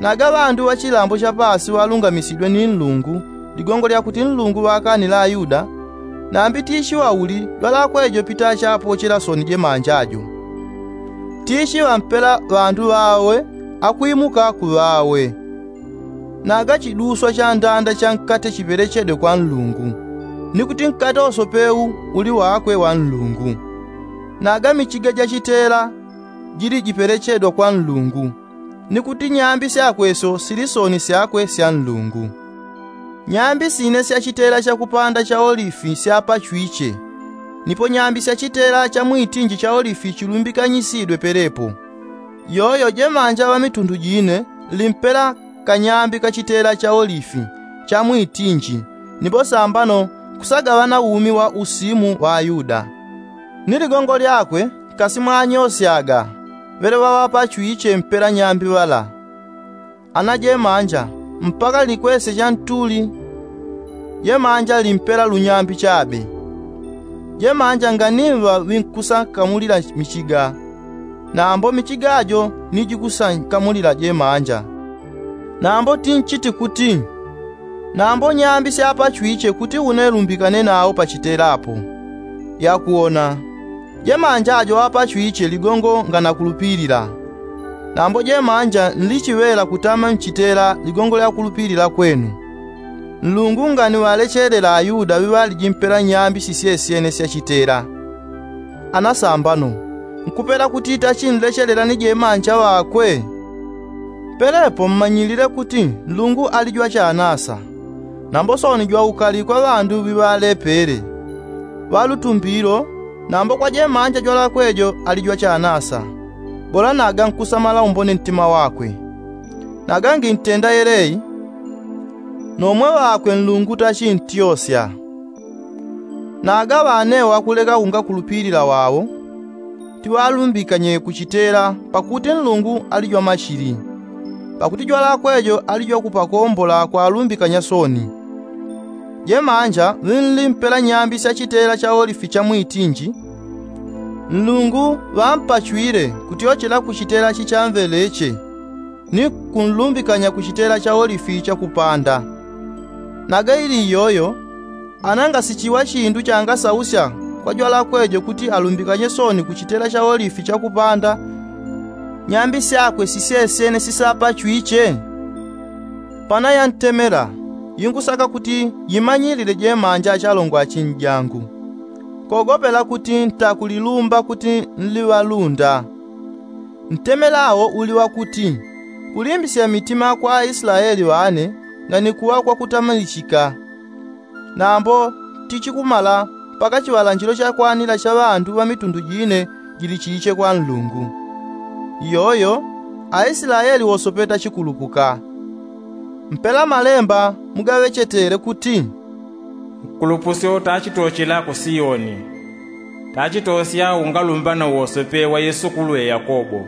Naga ŵandu ŵa chilambo cha pasi ŵalungamisidwe ni nlungu, ligongo lya kuti nlungu ŵakanile ayuda, nambi tichiŵa uli jwalakwe jo pitachapochela soni jemanja jo. Tichiŵa mpela ŵandu ŵawe akwimuka kuŵawe. Naga chiduswa cha ndanda cha nkate chipelechedwe kwa nlungu, ni kuti nkate wosope u uli wakwe wa nlungu. Naga michiga ja chitela jili jipelechedwa kwa nlungu, ni kuti nyambi syakwe syo sili soni syakwe sya nlungu. Nyambi sine sya chitela cha kupanda cha olifi syapachwiche, nipo nyambi sya chitela cha mwitinji cha olifi chilumbikanyisidwe pelepo. Yoyo jemanja ŵa mitundu jine limpela kanyambi ka chitela cha olifi cha mwitinji, nipo sambano kusagaŵana umi wa usimu wa ayuda. Ni ligongo lyakwe kasi mwanyosyaga ŵele ŵaŵapachwiche mpela nyambi ŵala. Ana jemanja, mpaka likwesye cha ntuli, jemanja limpela lunyambi chabe. Jemanja nganimba ŵinkusankamulila michiga, nambo michiga jo ni jikusankamulila jemanja. Nambo tinchiti kuti, nambo nyambi syapachwiche kuti une lumbikane nawo pa chitela apo. Yakuwona, jemanja jo ŵapachwiche ligongo nganakulupilila. Nambo jemanja nlichiŵela kutama nchitela ligongo lya kulupilila kwenu. Nlungu nganiŵalechelela ayuda ŵiŵaliji mpela nyambi sisyesyene sya chitela. Ana sambano, nkupela kuti tachinlechelela ni jemanja ŵakwe? Pelepo mmanyilile kuti nlungu ali jwa chanasa, nambo soni jwa ukali kwa ŵandu ŵiŵalepele. Ŵa lutumbilo, nambo kwa jemanja jwalakwe jo ali jwa chanasa. Bola naga nkusamala umbone ntima wakwe. Naga ngintenda yeleyi, nomwe ŵakwe nlungu tachintyosya. Naga ŵanewo akuleka kungakulupilila wawo, tiŵalumbikanye ku chitela pakuti nlungu ali jwa machili. Pakuti jwalakwe jo ali jwa kupakombola kwalumbikanya soni. Jemanja ŵinli mpela nyambi sya chitela cha olifi cha mwitinji, nlungu ŵampachwile kutyochela ku chitela chichamveleche, ni kunlumbikanya ku chitela cha olifi cha kupanda. Naga ili iyoyo, ana ngasichiŵa chindu changasausya kwa jwalakwe jo kuti alumbikanye soni ku chitela cha olifi cha kupanda, nyambi syakwe sisyesyene sisapachwiche? Pana yantemela, yingusaka kuti yimanyilile jemanja achalongo achinjangu. kogopela kuti ntakulilumba kuti nliŵalunda. Ntemelawo uli wakuti, kulimbisya mitima kwa aislaeli ŵane nganikuŵa kwakutamalichika. Nambo tichikumala mpaka chiŵalanjilo chakwanila cha ŵandu ŵa mitundu jine jilichiche kwa nlungu. Iyoyo aislaeli wosope tachikulupuka. Mpela malemba mugaŵechetele kuti, nkulupusyo tachitochela ku siyoni. Tachitosya ungalumbano wosope wa yesukulu ya yakobo.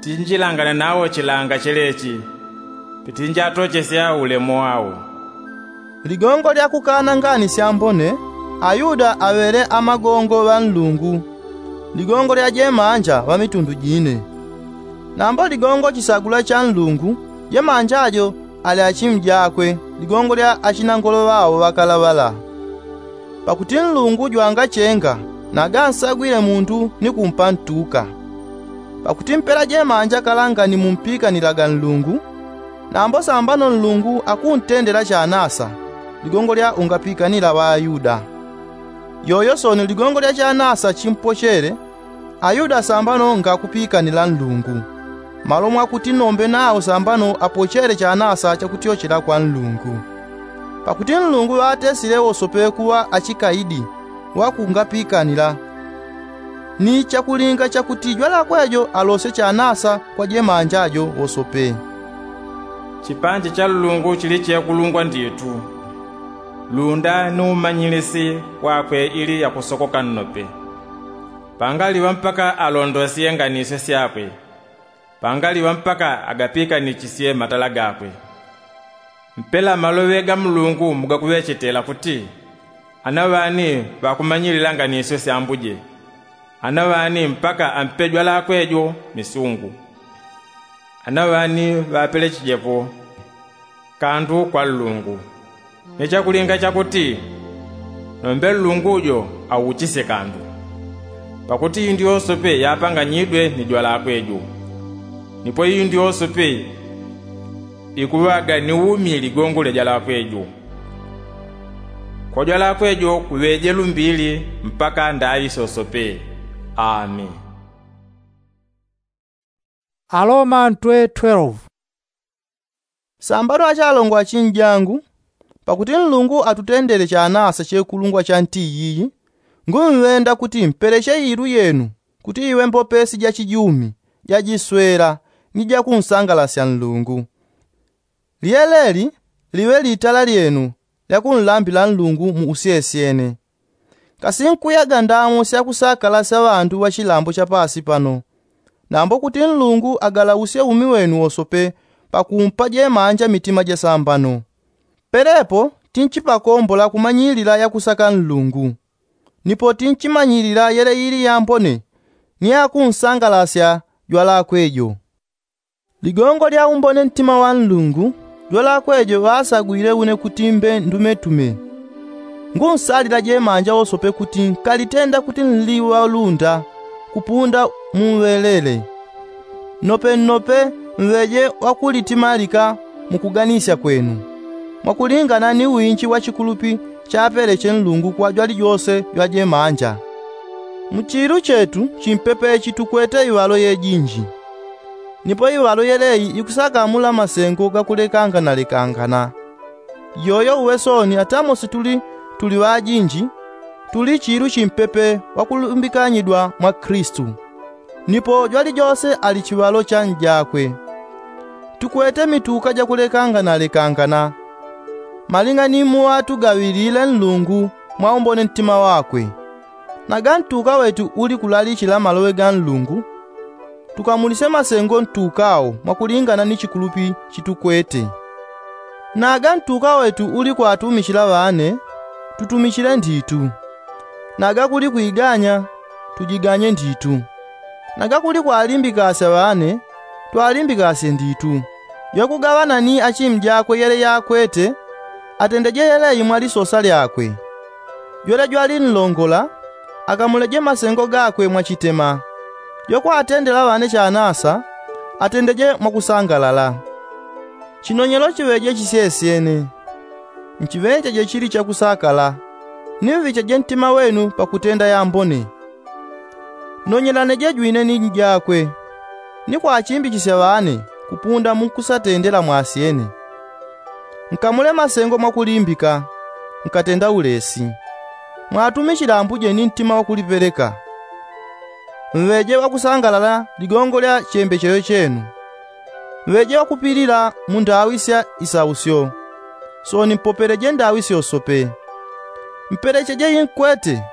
Tinjilangana nawo chilanga chelechi. Pitinjatochesya ulemo wawo. Ligongo lya kukana ngani syambone ayuda aŵele amagongo ŵa nlungu, ligongo lya jemanja ŵa mitundu jine. Nambo ligongo chisagula cha nlungu jemanja jo ali achimu jakwe, ligongo lya achinangolo ŵawo ŵakalaŵala. Pakuti nlungu jwangachenga nagansagwile mundu ni kumpa ntuka. Pakuti mpela jemanja kalanga ni mumpikanilaga nlungu. Nambo sambano nlungu akuntendela chanasa ligongo lya ungapikanila ŵayuda. Yoyo sono ligongo lya chanasa chimpochele ayuda sambano ngakupikanila nlungu, malo mwakuti nombe nawo sambano apochele chanasa chakutyochela kwa nlungu. Pakuti nlungu ŵatesile wosope kuŵa achikaidi wakungapikanila, ni chakulinga chakuti jwalakwe jo alosye chanasa kwa jemanja jo wosope. Chipanje cha nlungu chili chekulungwa nditu. Lunda ni umanyilisi wakwe ili yakusokoka nnope. Pangaliŵa mpaka alondosye nganisyo syakwe. Pangaliŵa mpaka agapikanichisye matala gakwe. Mpela maloŵe ga mulungu mugakuŵechetela kuti, ana ŵani ŵakumanyilila nganisyo syambuje. Ana ŵani mpaka ampe jwalakwe jo misungu. Ana ŵani ŵapelechijepo kandu kwa nlungu. Ni chakulinga chakuti nombe nlungu jo auchisye kandu. Pakuti indu yosope yapanganyidwe ni jwalakwe jo. Nipo indu yosope ikuŵaga ni umi ligongo lya jwalakwe jo. Kwa jwalakwe jo kuŵeje lumbili mpaka ndaŵi sosope. Ami. Aroma ntwe twelve. Sambano achalongo achinjangu, pakuti nlungu atutendele chanasa chekulungwa cha nti yiyi, ngumwenda kuti mpeleche ilu yenu kuti iwe mbopesi ja chijumi, ja jiswela, ni ja kunsangalasya nlungu. Lyeleli liŵe litala lyenu lya kunlambila nlungu mu usyesyene. Kasi nkuyaga ndamo syakusakalasya ŵandu ŵa chilambo cha paasi pano, nambo kuti nlungu agalausye umi wenu wosope pakumpa jemanja mitima jasambano. Pelepo tinchipakombola kumanyilila yakusaka nlungu, nipo tinchimanyilila yele ili yambone ni yakunsangalasya jwalakwe jo. Ligongo lya umbone ntima wa nlungu jwalakwe jo ŵasagwile une kuti mbe ndumetume. Ngunsalila jemanja wosope kuti nkalitenda kuti nliŵalunda kupunda muŵelele. Nnope nnope mŵeje wakulitimalika mukuganisya kwenu, mwakulingana ni winji wa chikulupi chapeleche nlungu kwa jwalijose jwa jemanja. Mu chiilu chetu chimpepe ichi tukwete iŵalo yejinji. Nipo iŵalo yeleyi ikusakamula masengo gakulekanganalekangana. Yoyo uŵe sooni atamosi tuli tuli ŵajinji, tuli chiilu chimpepe wakulumbikanyidwa mwa kristu. Nipo jwalijose ali chiŵalo cha njakwe. Tukwete mituka jakulekanganalekangana malinga ni muŵa tugaŵilile nlungu mwaumbone ntima wakwe. Naga ntuka wetu uli kulalichila maloŵe ga nlungu, tukamulisye masengo ntuka wo mwakulingana ni chikulupi chitukwete. Naga ntuka wetu uli kwatumichila ŵane, tutumichile nditu. Naga kuli kwiganya, tujiganye nditu. Naga kuli kwalimbikasya ŵane, twalimbikasye nditu. Jwakugaŵana ni achimjakwe yele yakwete, atendeje yeleyi mwa lisosa lyakwe. Jwele jwalinlongola, akamuleje masengo gakwe mwachitema. Jwakwatendela ŵane chanasa, atendeje mwakusangalala. Chinonyelo chiŵeje chisyesyene. Nchiŵenjeje chili chakusakala. Nimvicheje ntima wenu pakutenda yambone. Nonyelaneje jwine ni njakwe, ni kwachimbichisia ŵane kupunda munkusatendela mwasyene. Nkamule masengo mwakulimbika, nkatenda ulesi. Mwatumichile ambuje ni ntima wakulipeleka. Mŵeje ŵakusangalala ligongo lya chembechelo chenu. Mŵeje ŵakupilila mu ndaŵi sya isausyo. Sooni mpopeleje ndaŵi syosope. Mpelecheje inkwete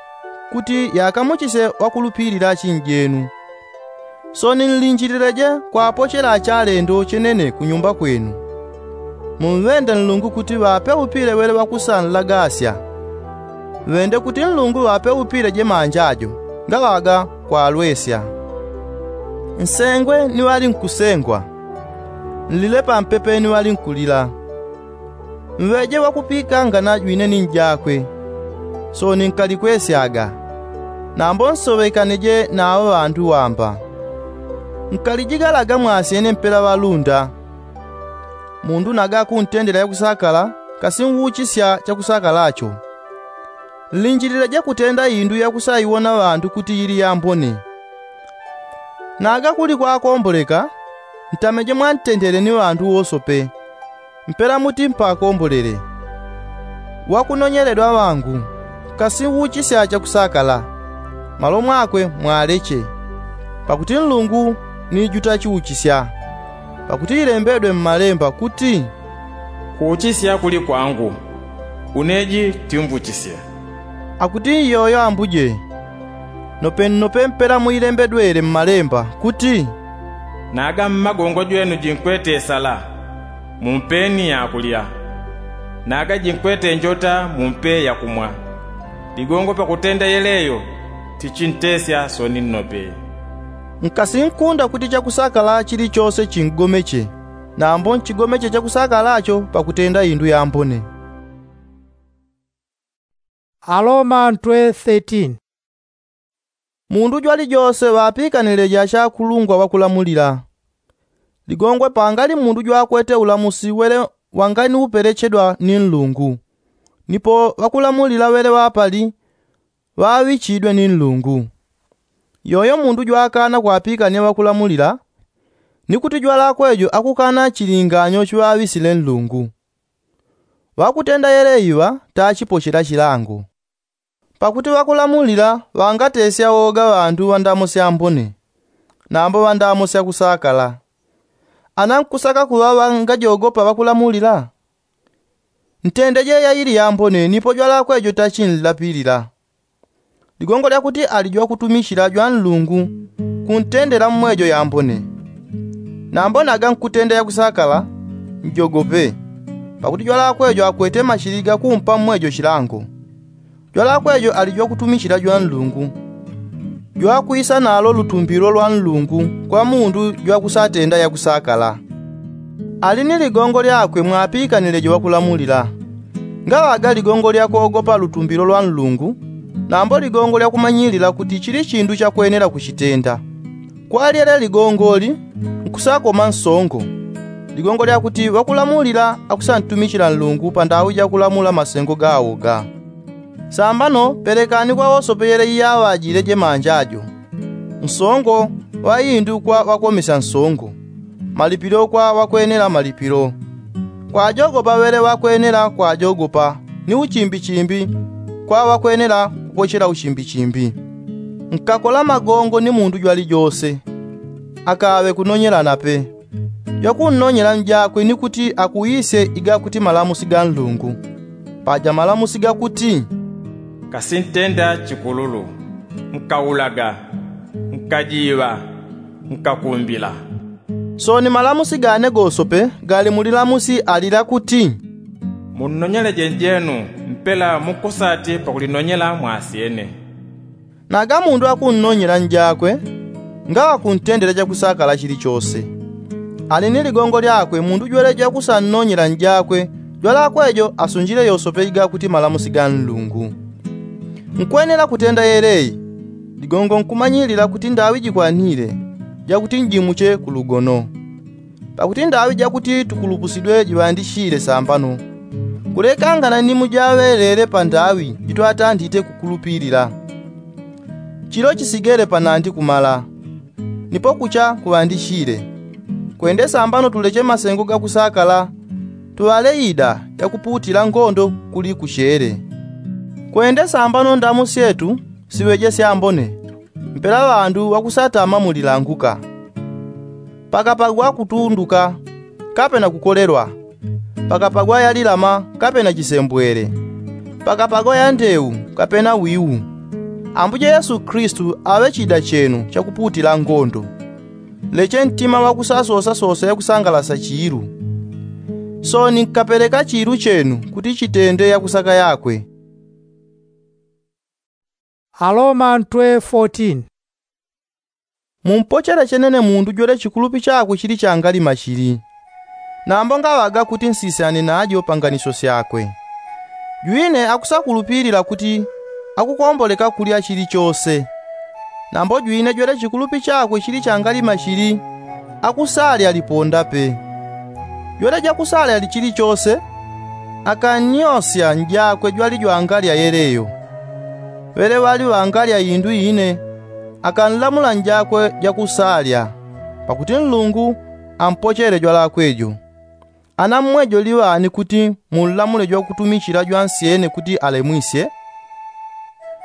kuti yakamuchisye ŵakulupilila achinjenu. Sooni nlinjilileje kwapochela achalendo chenene kunyumba kwenu. Mumŵende nlungu kuti ŵape upile ŵele ŵakusanlagasya. Ŵende kuti nlungu ŵape upile jemanja jo ngaŵaga kwalwesya. Nsengwe ni ŵali nkusengwa. Nlile pampepe ni ŵali nkulila. Mŵeje ŵakupikangana jwine ni njakwe. Sooni nkalikwesyaga. Nambo nsoŵekaneje na aŵa ŵandu wamba. Nkalijigalaga mwasyene mpela ŵalunda. Mundu naga akuntendela yakusakala, kasi nŵuchisya chakusakalacho. Nlinjilileje kutenda indu yakusaiwona ŵandu kuti yili yambone. Naga kuli kwakomboleka, ntameje mwantendele ni ŵandu wosope. Mpela muti mpakombolele. Ŵakunonyeledwa ŵangu, kasi nŵuchisya chakusakala. Malo mwakwe mwaleche. Pakuti nlungu ni jutachiuchisya. Pakuti ilembedwe mmalemba kuti, kuuchisya kuli kwangu, une ji timvuchisya. Akuti iyoyo ambuje. Nope nnope mpela muilembedwele mmalemba kuti, naga mmagongo jwenu jinkwete sala, mumpeni yakulya. Naga jinkwete njota mumpe yakumwa. Ligongo pakutenda yeleyo tichintesya sooni nnope. Nkasinkunda kuti chakusakala chilichose chingomeche. Nambo nchigomeche chakusakalacho pakutenda indu yambone. Aloma ntwe thirteen. Mundu jwalijose ŵapikanile ja chakulungwa ŵakulamulila. Ligongwe pangali mundu jwakwete ulamusi wele wanganiupelechedwa ni nlungu. Nipo ŵakulamulila wele ŵapali ŵaŵichidwe ni nlungu. Yoyo mundu jwakana kwapikania ŵakulamulila, ni kuti jwalakwe jo akukana chilinganyo chiŵaŵisile nlungu. Ŵakutenda yele iŵa tachipochela chilango. Pakuti ŵakulamulila ŵangatesya woga ŵandu ŵa ndamo syambone. Nambo ŵa ndamo syakusakala. Ana nkusaka kuŵa ŵangajogopa ŵakulamulila? Ntendeje yaili yambone nipo jwalakwe jo tachinlapilila. Ligongo lyakuti ali jwakutumichila jwanlungu kuntendela mmwejo yambone. Nambo naga nkutenda yakusakala, njogope. Pakuti jwalakwe jo akwete machili gakumpa mmwejo chilango. Jwalakwe jo ali jwakutumichila jwanlungu, jwakwisa nalo lutumbilo lwanlungu kwa mundu jwakusatenda yakusakala. Ali ni ligongo lyakwe mwapikanile jo ŵakulamulila. Ngaŵaga ligongo lyakogopa lutumbilo lwanlungu, nambo ligongo lyakumanyilila kuti chili chindu chakwenela kuchitenda. Kwa lyele ligongoli nkusakoma nsongo. Ligongo lyakuti ŵakulamulila akusantumichila nlungu pandaŵi jakulamula masengo gawo ga. Sambano pelekani kwa wosope yele iyaŵajile jemanja jo. Nsongo ŵa indu kwa ŵakomesya nsongo. Malipilo kwa ŵakwenela malipilo. Kwajogopa ŵele ŵakwenela kwajogopa, ni uchimbichimbi kwa ŵakwenela kupochela uchimbichimbi. Nkakola magongo ni mundu jwalijose. Akaŵe kunonyelana pe. Jwakunnonyela njakwe ni kuti akuwisye igakuti malamusi ga nlungu. Paja malamusi gakuti, nkasintenda chikululu, nkaulaga, nkajiŵa, nkakumbila. Sooni malamusi gane gosope gali mu lilamusi alila kuti, munnonyeleje njenu mpela mukusati pakulinonyela mwasyene. Naga mundu akunnonyela njakwe ngaŵa kuntendela chakusakala chilichose. Ali ni ligongo lyakwe mundu jwele jwakusannonyela njakwe jwalakwe jo asunjile yosope igakuti malamusi ga nlungu. Nkwenela kutenda yeleyi. Ligongo nkumanyilila kuti ndaŵi jikwanile jakuti njimuche ku lugono. Pakuti ndaŵi jakuti tukulupusidwe jiŵandichile sambano. Kulekangana ni mujaŵelele pandaŵi jitwatandite kukulupilila. Chilo chisigele panandi kumala, nipo kucha kuŵandichile. Kwende sambano tuleche masengo gakusakala, tuŵale ida yakuputila ngondo kuli kuchele. Kwende sambano ndamu syetu siŵeje syambone, mpela ŵandu ŵakusatama mulilanguka, pakapagwa kutunduka, kapena kukolelwa, pakapagwa yalilama kapena chisembwele, pakapagwa yandeu kapena wiu. Ambuje yesu kristu aŵe chida chenu chakuputila ngondo. Leche ntima wakusasosasosa yakusangalasa chiilu. Sooni nkapeleka chiilu chenu kuti chitende yakusaka yakwe. Aroma ntwe fourteen. Mumpochele chenene mundu jwele chikulupi chakwe chili changalima chili, nambo ngaŵaga kuti nsisyane najo panganisyo syakwe. Jwine akusakulupilila kuti akukomboleka kulya chili chose. Nambo jwine jwele chikulupi chakwe chili changalima chili, akusalya liponda pe. Jwele jakusalya chili chose, akannyosya njakwe jwali jwangalya yeleyo. Ŵele ŵali ŵangalya indu ine, akanlamula njakwe jakusalya, pakuti nlungu ampochele jwalakwe jo. Ana mmwe jo liŵani kuti munlamule jwakutumichila jwansyene kuti alemwisye?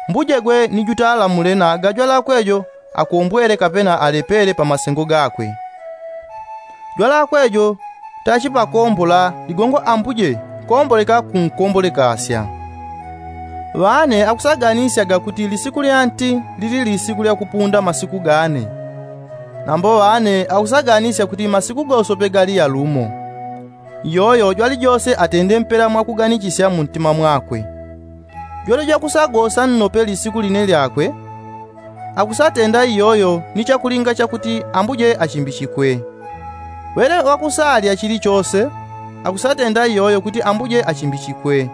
Mbujegwe ni jutalamule naga jwalakwe jo akombwele kapena alepele pamasengo gakwe. Jwalakwe jo tachipakombola ligongo ambuje komboleka kunkombolekasya. Ŵane akusaganisyaga kuti lisiku lya nti lili lisiku lyakupunda masiku gane. Nambo ŵane akusaganisya kuti masiku gosope gali yalumo. Iyoyo jwalijose atende mpela mwakuganichisya muntima mwakwe. Jwele jwakusagosa nnope lisiku line lyakwe, akusatenda iyoyo ni chakulinga chakuti ambuje achimbichikwe. Ŵele wakusalya chili chose, akusatenda iyoyo kuti ambuje achimbichikwe,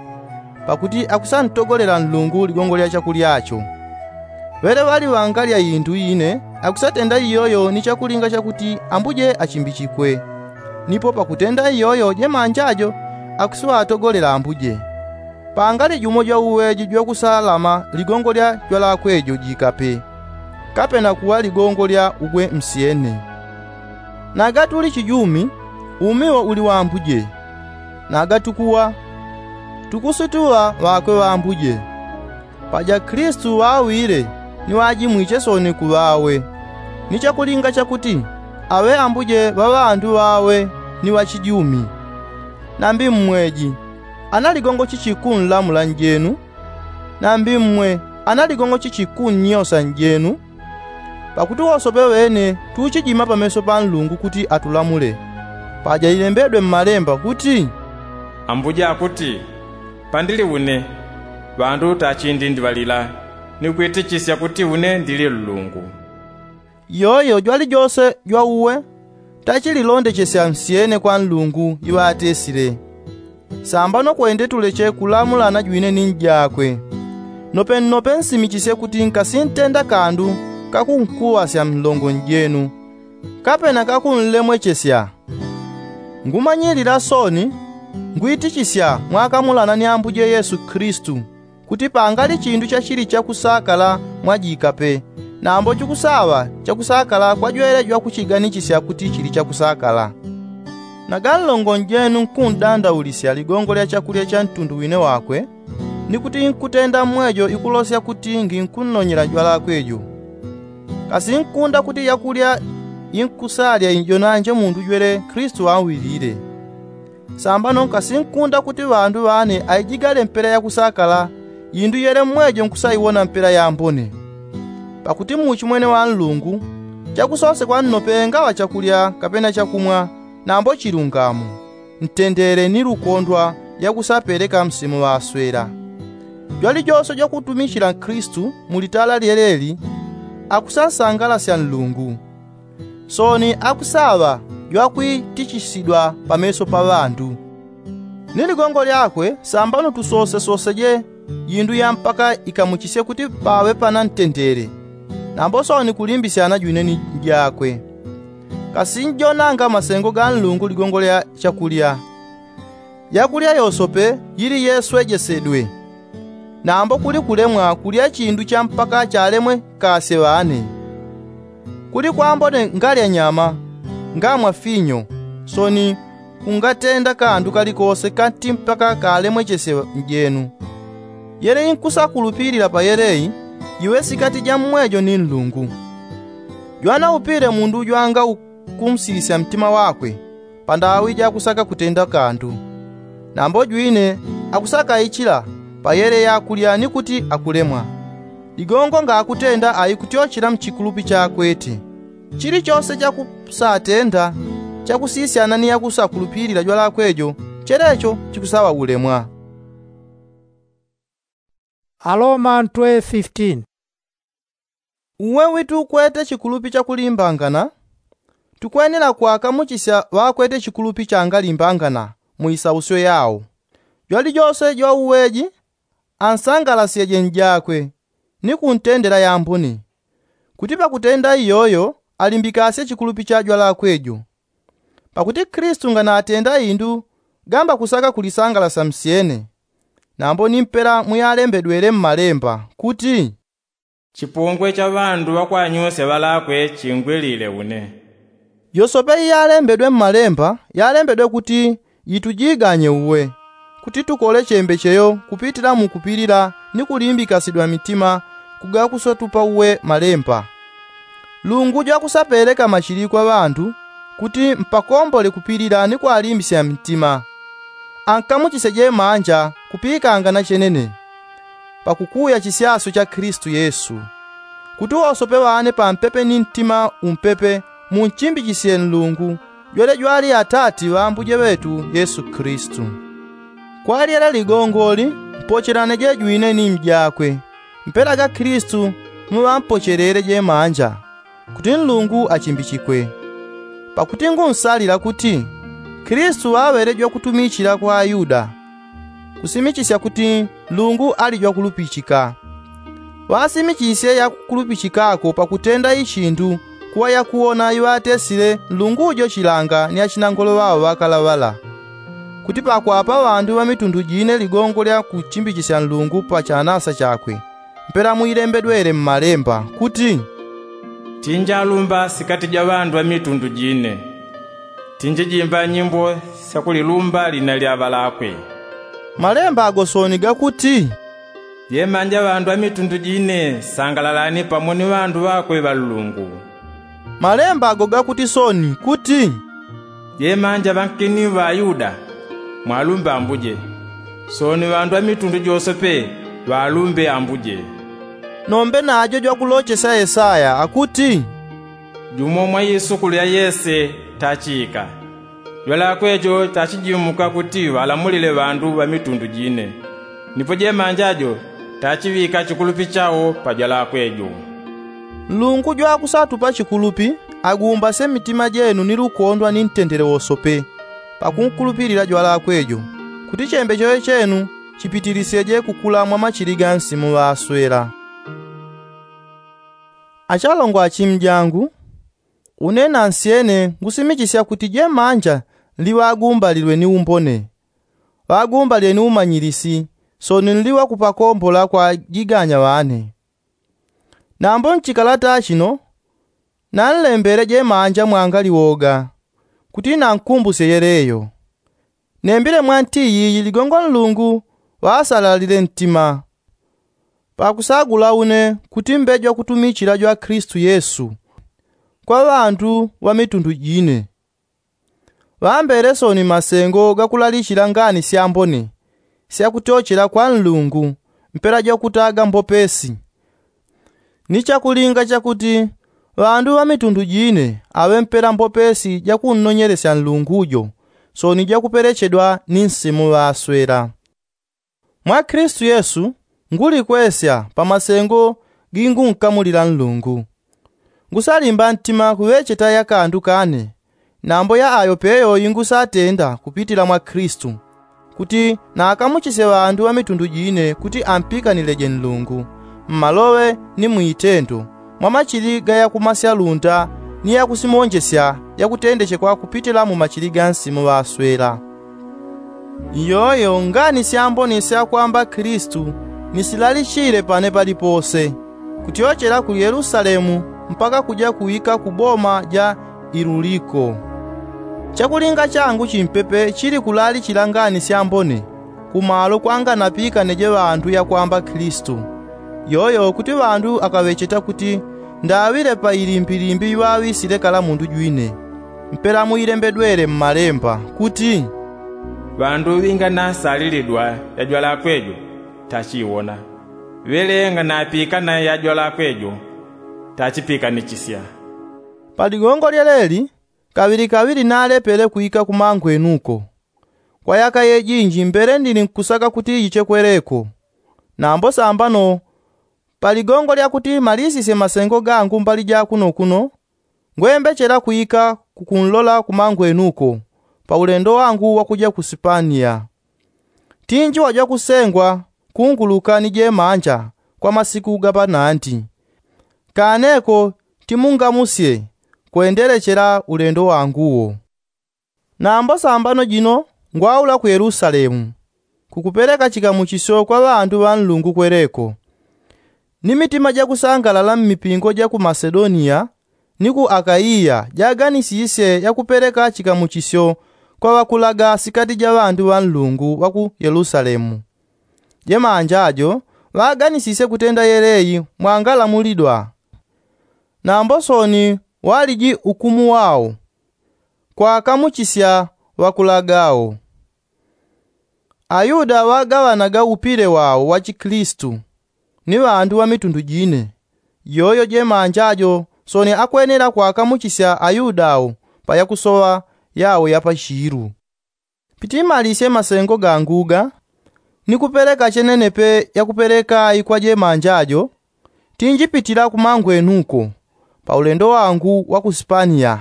pakuti akusantogolela nlungu ligongo lya chakulyacho. Ŵele ŵali ŵangalya indu ine, akusatenda iyoyo ni chakulinga chakuti ambuje achimbichikwe. Nipo pakutenda iyoyo jemanja jo akusiŵatogolela ambuje. Pangali jumo jwauŵeji jwakusalama ligongo lya jwalakwe jo jikape, kapena kuŵa ligongo lya ugwe nsyene. Naga tuli chijumi, umi wo uli wambuje. Naga tukuwa, tukusituŵa ŵakwe ŵambuje. Paja kristu ŵaŵile ni ŵajimwiche sooni kuŵawe, ni chakulinga chakuti aŵe ambuje ŵa ŵandu ŵawe ni ŵachijumi. Nambi mmweji, ana ligongo chichikunlamula njenu? Nambi mmwe, ana ligongo chichikunyosa njenu? Pakuti wosope ŵene tuchijima pameso pa nlungu kuti atulamule. Paja ilembedwe mmalemba kuti, ambuje akuti, pandili une, ŵandu tachindindiŵalila, ni kwitichisya kuti une ndili nlungu. Yoyo jwalijose jwauwe tachililondechesya nsyene kwa nlungu iŵatesile. Sambano kwende tuleche kulamulana jwine ni njakwe. Nopennope nsimichisye kuti nkasintenda kandu kakunkuŵasya nlongo njenu, kapena kakunlemwechesya. Ngumanyilila sooni, ngwitichisya mwakamulana ni ambuje yesu kristu, kuti pangali chindu chachili chakusakala mwajika pe, nambo chikusaŵa chakusakala kwa jwele jwakuchiganichisya kuti chili chakusakala. Naga nlongo njenu nkundandaulisya ligongo lya chakulya cha ntundu wine wakwe, ni kuti nkutenda mmwejo ikulosya kuti nginkunnonyela jwalakwe jo. Kasi nkunda kuti yakulya inkusalya ijo nanje mundu jwele kristu auŵilile. Sambano nkasinkunda kuti ŵandu ŵane aijigale mpela yakusakala, indu yele mmwejo nkusaiwona mpela yambone. Pakuti muuchimwene wa nlungu, chakusosekwa nnope ngaŵa chakulya kapena chakumwa, nambo chilungamo, ntendele ni lukondwa yakusapeleka msemo ŵaswela. Jwalijose jwakutumichila nkristu mu litala lyeleli akusansangalasya nlungu. Sooni akusaŵa jwakwiitichisidwa pameso pa ŵandu. Ni ligongo lyakwe sambano tusosesoseje indu ya mpaka ikamuchisye kuti paŵe pana ntendele. Nambo sooni kulimbisyana jwine ni jakwe. Kasi njonanga masengo ga nlungu ligongo lya chakulya? Yakulya yosope yili yeswejesedwe. Nambo kuli kulemwa kulya chindu cha mpaka chalemwe kasye ŵane. Kuli kwambone ngalya nyama, ngamwa finyo, soni kungatenda kandu kalikose kati mpaka kalemwechesye njenu. Yele inkusakulupilila pa yeleyi, jiwe sikati ja mmwejo ni nlungu. Jwanaupile mundu jwanga ukumsisya mtima wakwe, pandawi jakusaka kutenda kandu. Nambo jwine akusakaichila pa yele yakulya ni kuti akulemwa. Ligongo ngakutenda aikutyochela mchikulupi chakwete. Chilichose chakusatenda chakusisyana ni yakusakulupilila jwalakwe jo, chelecho chikusaŵa ulemwa. Aloma ntwe fifteen. Uwe witukwete chikulupi chakulimbangana, tukwenela kwakamuchisya ŵakwete chikulupi changalimbangana mu isausyo yao. Jwalijose jwauweji ansangalasyeje njakwe, ni kuntendela yambone, kuti pakutenda iyoyo alimbikasye chikulupi cha jwalakwe jo. Pakuti kristu nganatenda indu gamba kusaka kulisangalasya msyene. Nambo ni mpela muyalembedwele mmalemba kuti, chipungwe cha ŵandu ŵakwanyosya ŵalakwe chingwilile une. Yosope iyalembedwe mmalemba yalembedwe kuti yitujiganye uwe, kuti tukole chembecheyo kupitila mu kupilila ni kulimbikasidwa mitima kugakusatupa uwe malemba. Nlungu jwakusapeleka machili kwa ŵandu kuti mpakombole kupilila ni kwalimbisya mitima. Ankamuchisye jemanja kupikangana chenene pakukuya chisyasyo cha kristu yesu, kuti wosope ŵane pampepe ni ntima umpepe munchimbichisye nlungu jwele jwali atati ŵa ambuje ŵetu yesu kristu. Kwa lyele ligongoli mpochelaneje jwine ni mjakwe, mpela ga kristu muŵampochelele jemanja, kuti nlungu achimbichikwe. Pakuti ngunsalila kuti kristu ŵaŵele jwakutumichila kwa ayuda, kusimichisya kuti nlungu ali jwakulupichika. Ŵasimichisye yakukulupichikako pakutenda ichindu kuŵa yakuwona iŵatesile nlungu jo chilanga ni achinangolo ŵao ŵakalaŵala, kuti pakwapa ŵandu ŵa mitundu jine ligongo lya kuchimbichisya nlungu pa chanasa chakwe. Mpela muilembedwele mmalemba kuti, tinjalumba sikati ja ŵandu ŵa mitundu jine, tinjijimba nyimbo syakulilumba lina lya ŵalakwe. Malemba ago soni gakuti, jemanja ŵandu ŵa mitundu jine sangalalani pamo ni ŵandu ŵakwe ŵa nlungu. Malemba ago gakuti soni kuti, jemanja ŵankini ŵa ayuda, mwalumbe ambuje. Soni ŵandu ŵa mitundu jose pe ŵalumbe ambuje. Nombe najo jwakulochesya yesaya akuti, jumo mwa isukulu ya yese tachiika, jwalakwe jo tachijimuka kuti ŵalamulile ŵandu ŵa mitundu jine. Nipo jemanja jo tachiŵika chikulupi chao pa jwalakwe jo. Nlungu jwakusatupa chikulupi agumbasye mitima jenu ni lukondwa ni ntendele wosope pakunkulupilila jwalakwe jo, kuti chembecheyo chenu chipitilisyeje kukula mwa machili ga nsimu ŵaswela. Achalongo achimjangu, une nansyene ngusimichisya kuti jemanja nli ŵagumbalilwe ni umbone, ŵagumbalile ni umanyilisi, soni nli ŵakupakombola kwa jiganya ŵane. Nambo nchikalata chino nanlembele jemanja mwangali woga, kuti nankumbusye yeleyo. Nembile mwa nti yiyi ligongo nlungu ŵasalalile ntima, pakusagula une kuti mbe jwakutumichila jwa kristu yesu kwa ŵandu ŵa mitundu jine. Ŵambele soni masengo gakulalichila ngani syambone syakutyochela kwa nlungu mpela jwakutaga mbopesi, ni chakulinga chakuti ŵandu ŵa mitundu jine aŵe mpela mbopesi jakunnonyelesya nlungu jo, soni jakupelechedwa ni nsimu ŵaswela. Mwa kristu yesu ngulikwesya pa masengo gingunkamulila nlungu. Ngusalimba ntima kuŵecheta yakandu kane, nambo ya ayo peyo ingusatenda kupitila mwa kristu, kuti nakamuchisye ŵandu ŵa mitundu jine kuti ampikanileje nlungu mmaloŵe ni mwitendo, mwa machili ga yakumasya lunda ni yakusimonjesya yakutendechekwa kupitila mu machili ga nsimu ŵaswela. Iyoyo ngani syambone syakwamba kilistu ni silalichile pane palipose, kutyochela ku yelusalemu mpaka kuja kuwika ku boma ja iluliko. Chakulinga changu chimpepe chili kulalichila ngani syambone kumalo kwanganapikane je ŵandu yakwamba kilistu. Yoyo kuti ŵandu akaŵecheta kuti ndaŵile pa ilimbilimbi iŵaŵisile kala mundu jwine. Mpela muilembedwele mmalemba kuti, ŵandu ŵinganasalilidwa yajwalakwe jo tachiwona, ŵele nganapikana yajwalakwe jo tachipikanechisya. Pa ligongo lyeleli kaŵilikaŵili nalepele kwika kumangwenuko. Kwa yaka yejinji mbele ndili nkusaka kuti yiche kweleko. Nambo sambano pa ligongo lya kuti malisisye masengo gangu mbali ja kuno kuno, ngwembechela kwika kukunlola kumangwenuko pa ulendo wangu wakuja ku sipaniya. Tinji waja kusengwa kunguluka ni jemanja kwa masiku gapanandi. Kaneko timungamusye kwendelechela ulendo wanguwo. Nambo sambano jino ngwaula ku yelusalemu kukupeleka chikamuchisyo kwa ŵandu ŵa nlungu kweleko. Ni mitima jakusangalala mmipingo ja ku masedoniya ni ku akaiya jaganisisye yakupeleka chikamuchisyo kwa ŵakulaga sikati ja ŵandu ŵa nlungu ŵa ku yelusalemu. Jemanja jo ŵaganisisye kutenda yeleyi mwangalamulidwa. Nambo soni waliji ukumu wao kwakamuchisya ŵakulaga wo. Ayuda ŵagaŵanaga upile wao wa chikilistu ni ŵandu ŵa mitundu jine. Yoyo jemanja jo soni akwenela kwakamuchisya ayuda wo pa yakusoŵa yao ya pachilu. Pitimalisye masengo gangu ga ni kupeleka chenenepe yakupeleka ikwa jemanja jo tinjipitila kumangwenuko pa ulendo wangu wa ku sipaniya.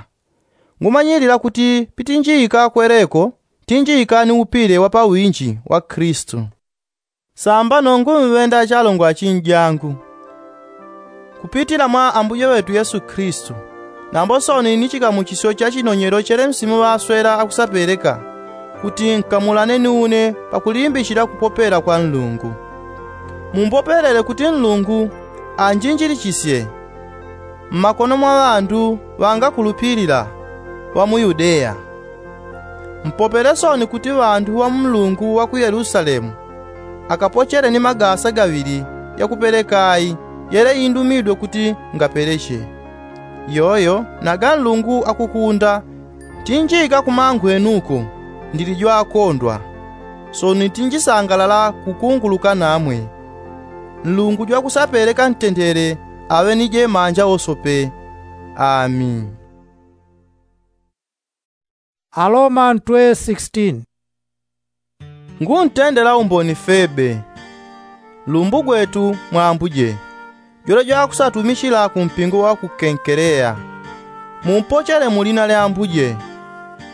Ngumanyilila kuti pitinjika kweleko tinjika ni upile wa pawinji wa kilistu. Sambano ngumŵenda achalongo achinjangu kupitila mwa ambuye ŵetu yesu kilistu, nambo soni ni chikamuchisyo cha chinonyelo chele msimu ŵaswela akusapeleka kuti nkamulane ni une pakulimbichila kupopela kwa nlungu. Mumpopelele kuti nlungu anjinjilichisye mmakono mwa ŵandu ŵangakulupilila ŵa mu yudeya. Mpopele soni kuti ŵandu ŵa mlungu wa ku yelusalemu akapochele ni magasa gaŵili yakupeleka ayi yele indumidwe kuti ngapeleche. Yoyo naga nlungu akukunda tinjika kumangwenuko ndili jwakondwa. Soni tinjisangalala kukunguluka namwe. Nlungu jwakusapeleka ntendele aŵe ni jemanja wosope. Ami. Aroma ntwe sixteen. Nguntendela umboni febe lumbu gwetu mwa ambuje jwele jwakusatumichila ku mpingo wa ku kenkeleya. Mumpochele mu lina lya ambuje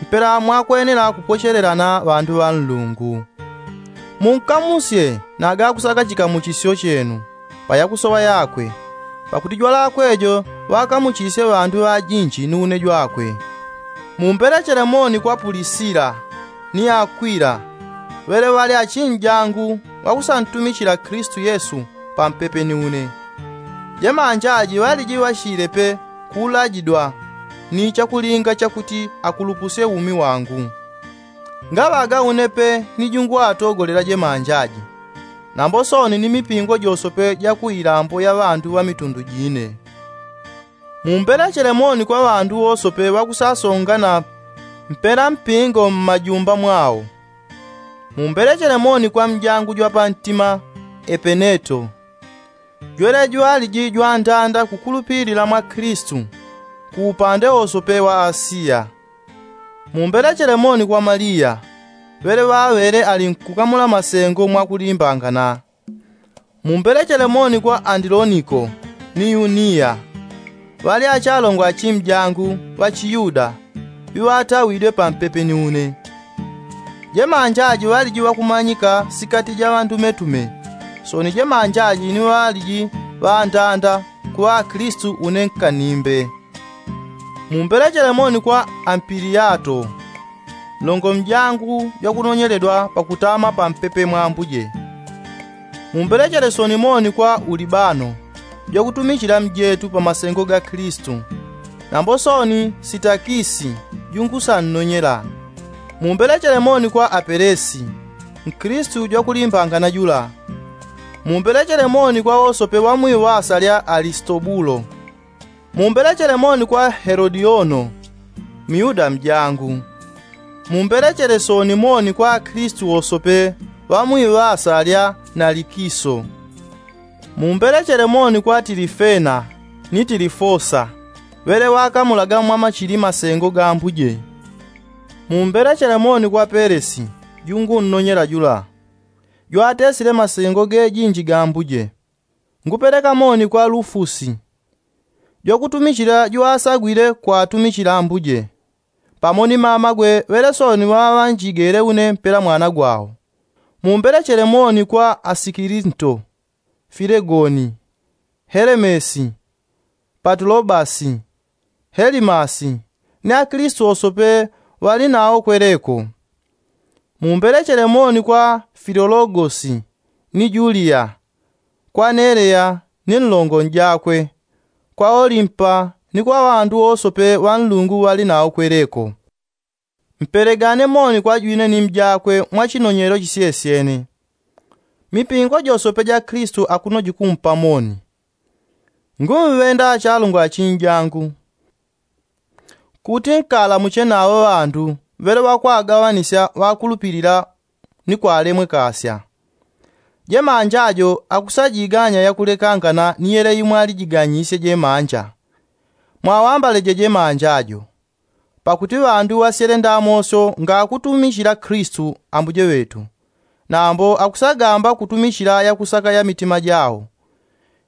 mpela mwakwenela kupochelelana ŵandu ŵa nlungu. Munkamusye nagakusaka chikamuchisyo chenu pa yakusoŵa yakwe. Pakuti jwalakwe jo ŵakamuchisye ŵandu ŵajinji ni une jwakwe. Mumbelechele moni kwa pulisila ni akwila ŵele ŵali achinjangu ŵakusantumichila kilistu yesu pampepe ni une. Jemanja aji ŵaliji ŵashilepe kuulajidwa ni chakulinga chakuti akulupusye umi wangu. Ngaŵaga une pe ni jungwatogolela jemanja aji nambo soni ni mipingo josope ja ku ilambo ya ŵandu ŵa mitundu jine. Mumbelechele moni kwa ŵandu wosope ŵakusasongana mpela mpingo mmajumba mwao. Mumbelechele moni kwa mjangu jwa pantima epeneto. Jwele jwaliji jwandanda kukulupilila mwa kilistu ku upande wosope wa asiya. Mumbelechele moni kwa maliya ŵele ŵaŵele ali nkukamula masengo mwakulimbangana. Mumbelechele moni kwa andiloniko ni yuniya ŵali achalongo achimjangu ŵachiyuda ŵiŵatawidwe pampepe ni une. Jemanja aji ŵaliji ŵakumanyika sikati ja ŵandumetume. Soni jemanja aji ni ŵaliji ŵandanda kuŵa akilistu une nkanimbe. Mumbelechele moni kwa ampiliyato Nlongo mjangu jwakunonyeledwa pakutama pampepe mwa ambuje. Mumbelechele soni moni kwa ulibano, jwakutumichila mjetu pa masengo ga kilisitu. Nambo soni sitakisi, jungu sannonyela. Mumbelechele moni kwa apelesi, nkilisitu jwakulimbangana jula. Mumbelechele moni kwa wosope ŵa mwiŵasa lya alisitobulo. Mumbelechele moni kwa helodiono, myuda mjangu. Mumbelechele soni moni kwa akilisitu wosope ŵa mwiŵasa lya nalikiso. Mumbelechele moni kwa tilifena, ni tilifosa, ŵele ŵakamulaga mwa machili masengo ga ambuje. Mumbelechele moni kwa pelesi, jungu nnonyela jula, jwatesile masengo gejinji ga ambuje. Ngupeleka moni kwa lufusi, jwakutumichila jwasagwile kwatumichila ambuje, pamo ni mamagwe ŵele soni ŵaŵanjigele une mpela mwana gwao. Mumbelechele moni kwa asikilinto, filegoni, helemesi, patulobasi, helimasi, ni akilisitu wosope ŵali nao kweleko. Mumbelechele moni kwa filologosi, ni juliya, kwa neleya, ni nlongo njakwe, kwa olimpa, ni kwa ŵandu wosope ŵa nlungu ŵali nao kweleko. Mpelegane moni kwa jwine ni mjakwe mwa chinonyelo chisyesyene. Mipingo josope ja kilisitu akuno jikumpa moni. Ngumŵenda achalungwa achinjangu, kuti nkalamuche nawo ŵandu ŵele ŵakwagaŵanisya ŵakulupilila ni kwalemwekasya. Jemanja jo akusajiganya yakulekangana ni yele imwe alijiganyisye jemanja. Mwawambaleje jemanja jo, pakuti ŵandu ŵasyele ndamosyo ngakutumichila kilisitu ambuje ŵetu. Nambo akusagamba kutumichila yakusaka ya mitima jao,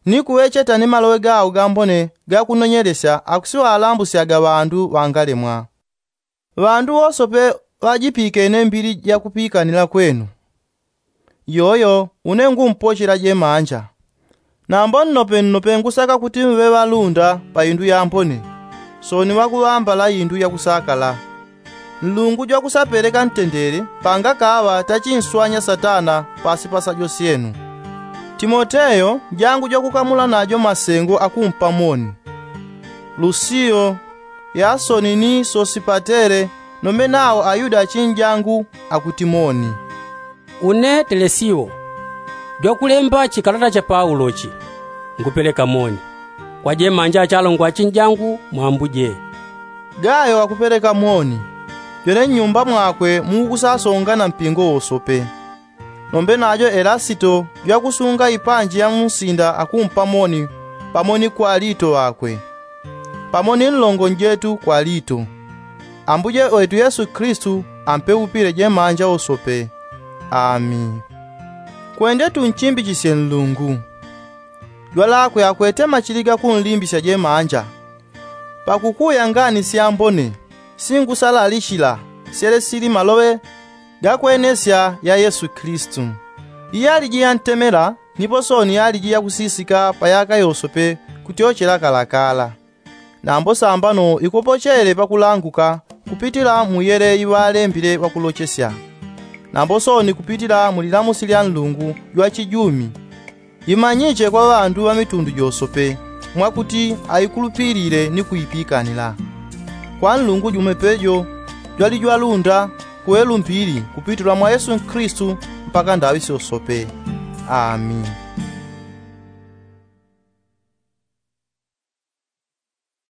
ni kuŵecheta ni maloŵe gao gambone gakunonyelesya akusiŵalambusyaga ŵandu ŵangalemwa. Ŵandu wosope ŵajipikene mbili jakupikanila kwenu, yoyo une ngumpochela jemanja. Nambo nnope nnope ngusaka kuti mŵe ŵalunda pa indu yambone, soni ŵakuŵambala indu yakusakala. Nlungu jwakusapeleka ntendele pangakaŵa tachinswanya satana pasi pa sajo syenu. Timoteyo njangu jwakukamula najo masengo akumpa moni. Lusiyo, yasoni ni sosipatele, nombe nao ayuda achinjangu, akuti moni. Une telesiyo, jwakulemba chikalata cha paulo chi, ngupeleka moni kwa jemanja achalongwa achinjangu mwa ambuje. Gayo akupeleka moni, jwene nnyumba mwakwe mukusasonga na mpingo wosope. Nombe najo elasito jwakusunga ipanji ya munsinda akumpa moni, pamo ni kwalito ŵakwe, pamo ni nlongo njetu kwalito. Ambuje ŵetu yesu kilisitu ampeupile jemanja wosope. Ami. Kwende tunchimbichisye nlungu, jwalakwe akwete machili gakunlimbisya jemanja. Pakukuya ngani syambone singusalalichila syele sili maloŵe gakwenesya ya yesu kilisitu. Iyaliji yantemela nipo soni yaliji yakusisika pa yaka yosope kutyochela kalakala. Nambo sambano ikopochele pakulanguka kupitila mu yele iŵalembile ŵakulochesya, nambo soni kupitila mu lilamusi lya nlungu jwachijumi. Imanyiche kwa ŵandu ŵa mitundu josope mwakuti aikulupilile ni kuipikanila. Kwa nlungu jume pejo jwali jwalunda kuŵelumbili kupitila mwa yesu kilisitu mpaka ndaŵi syosope. Ami.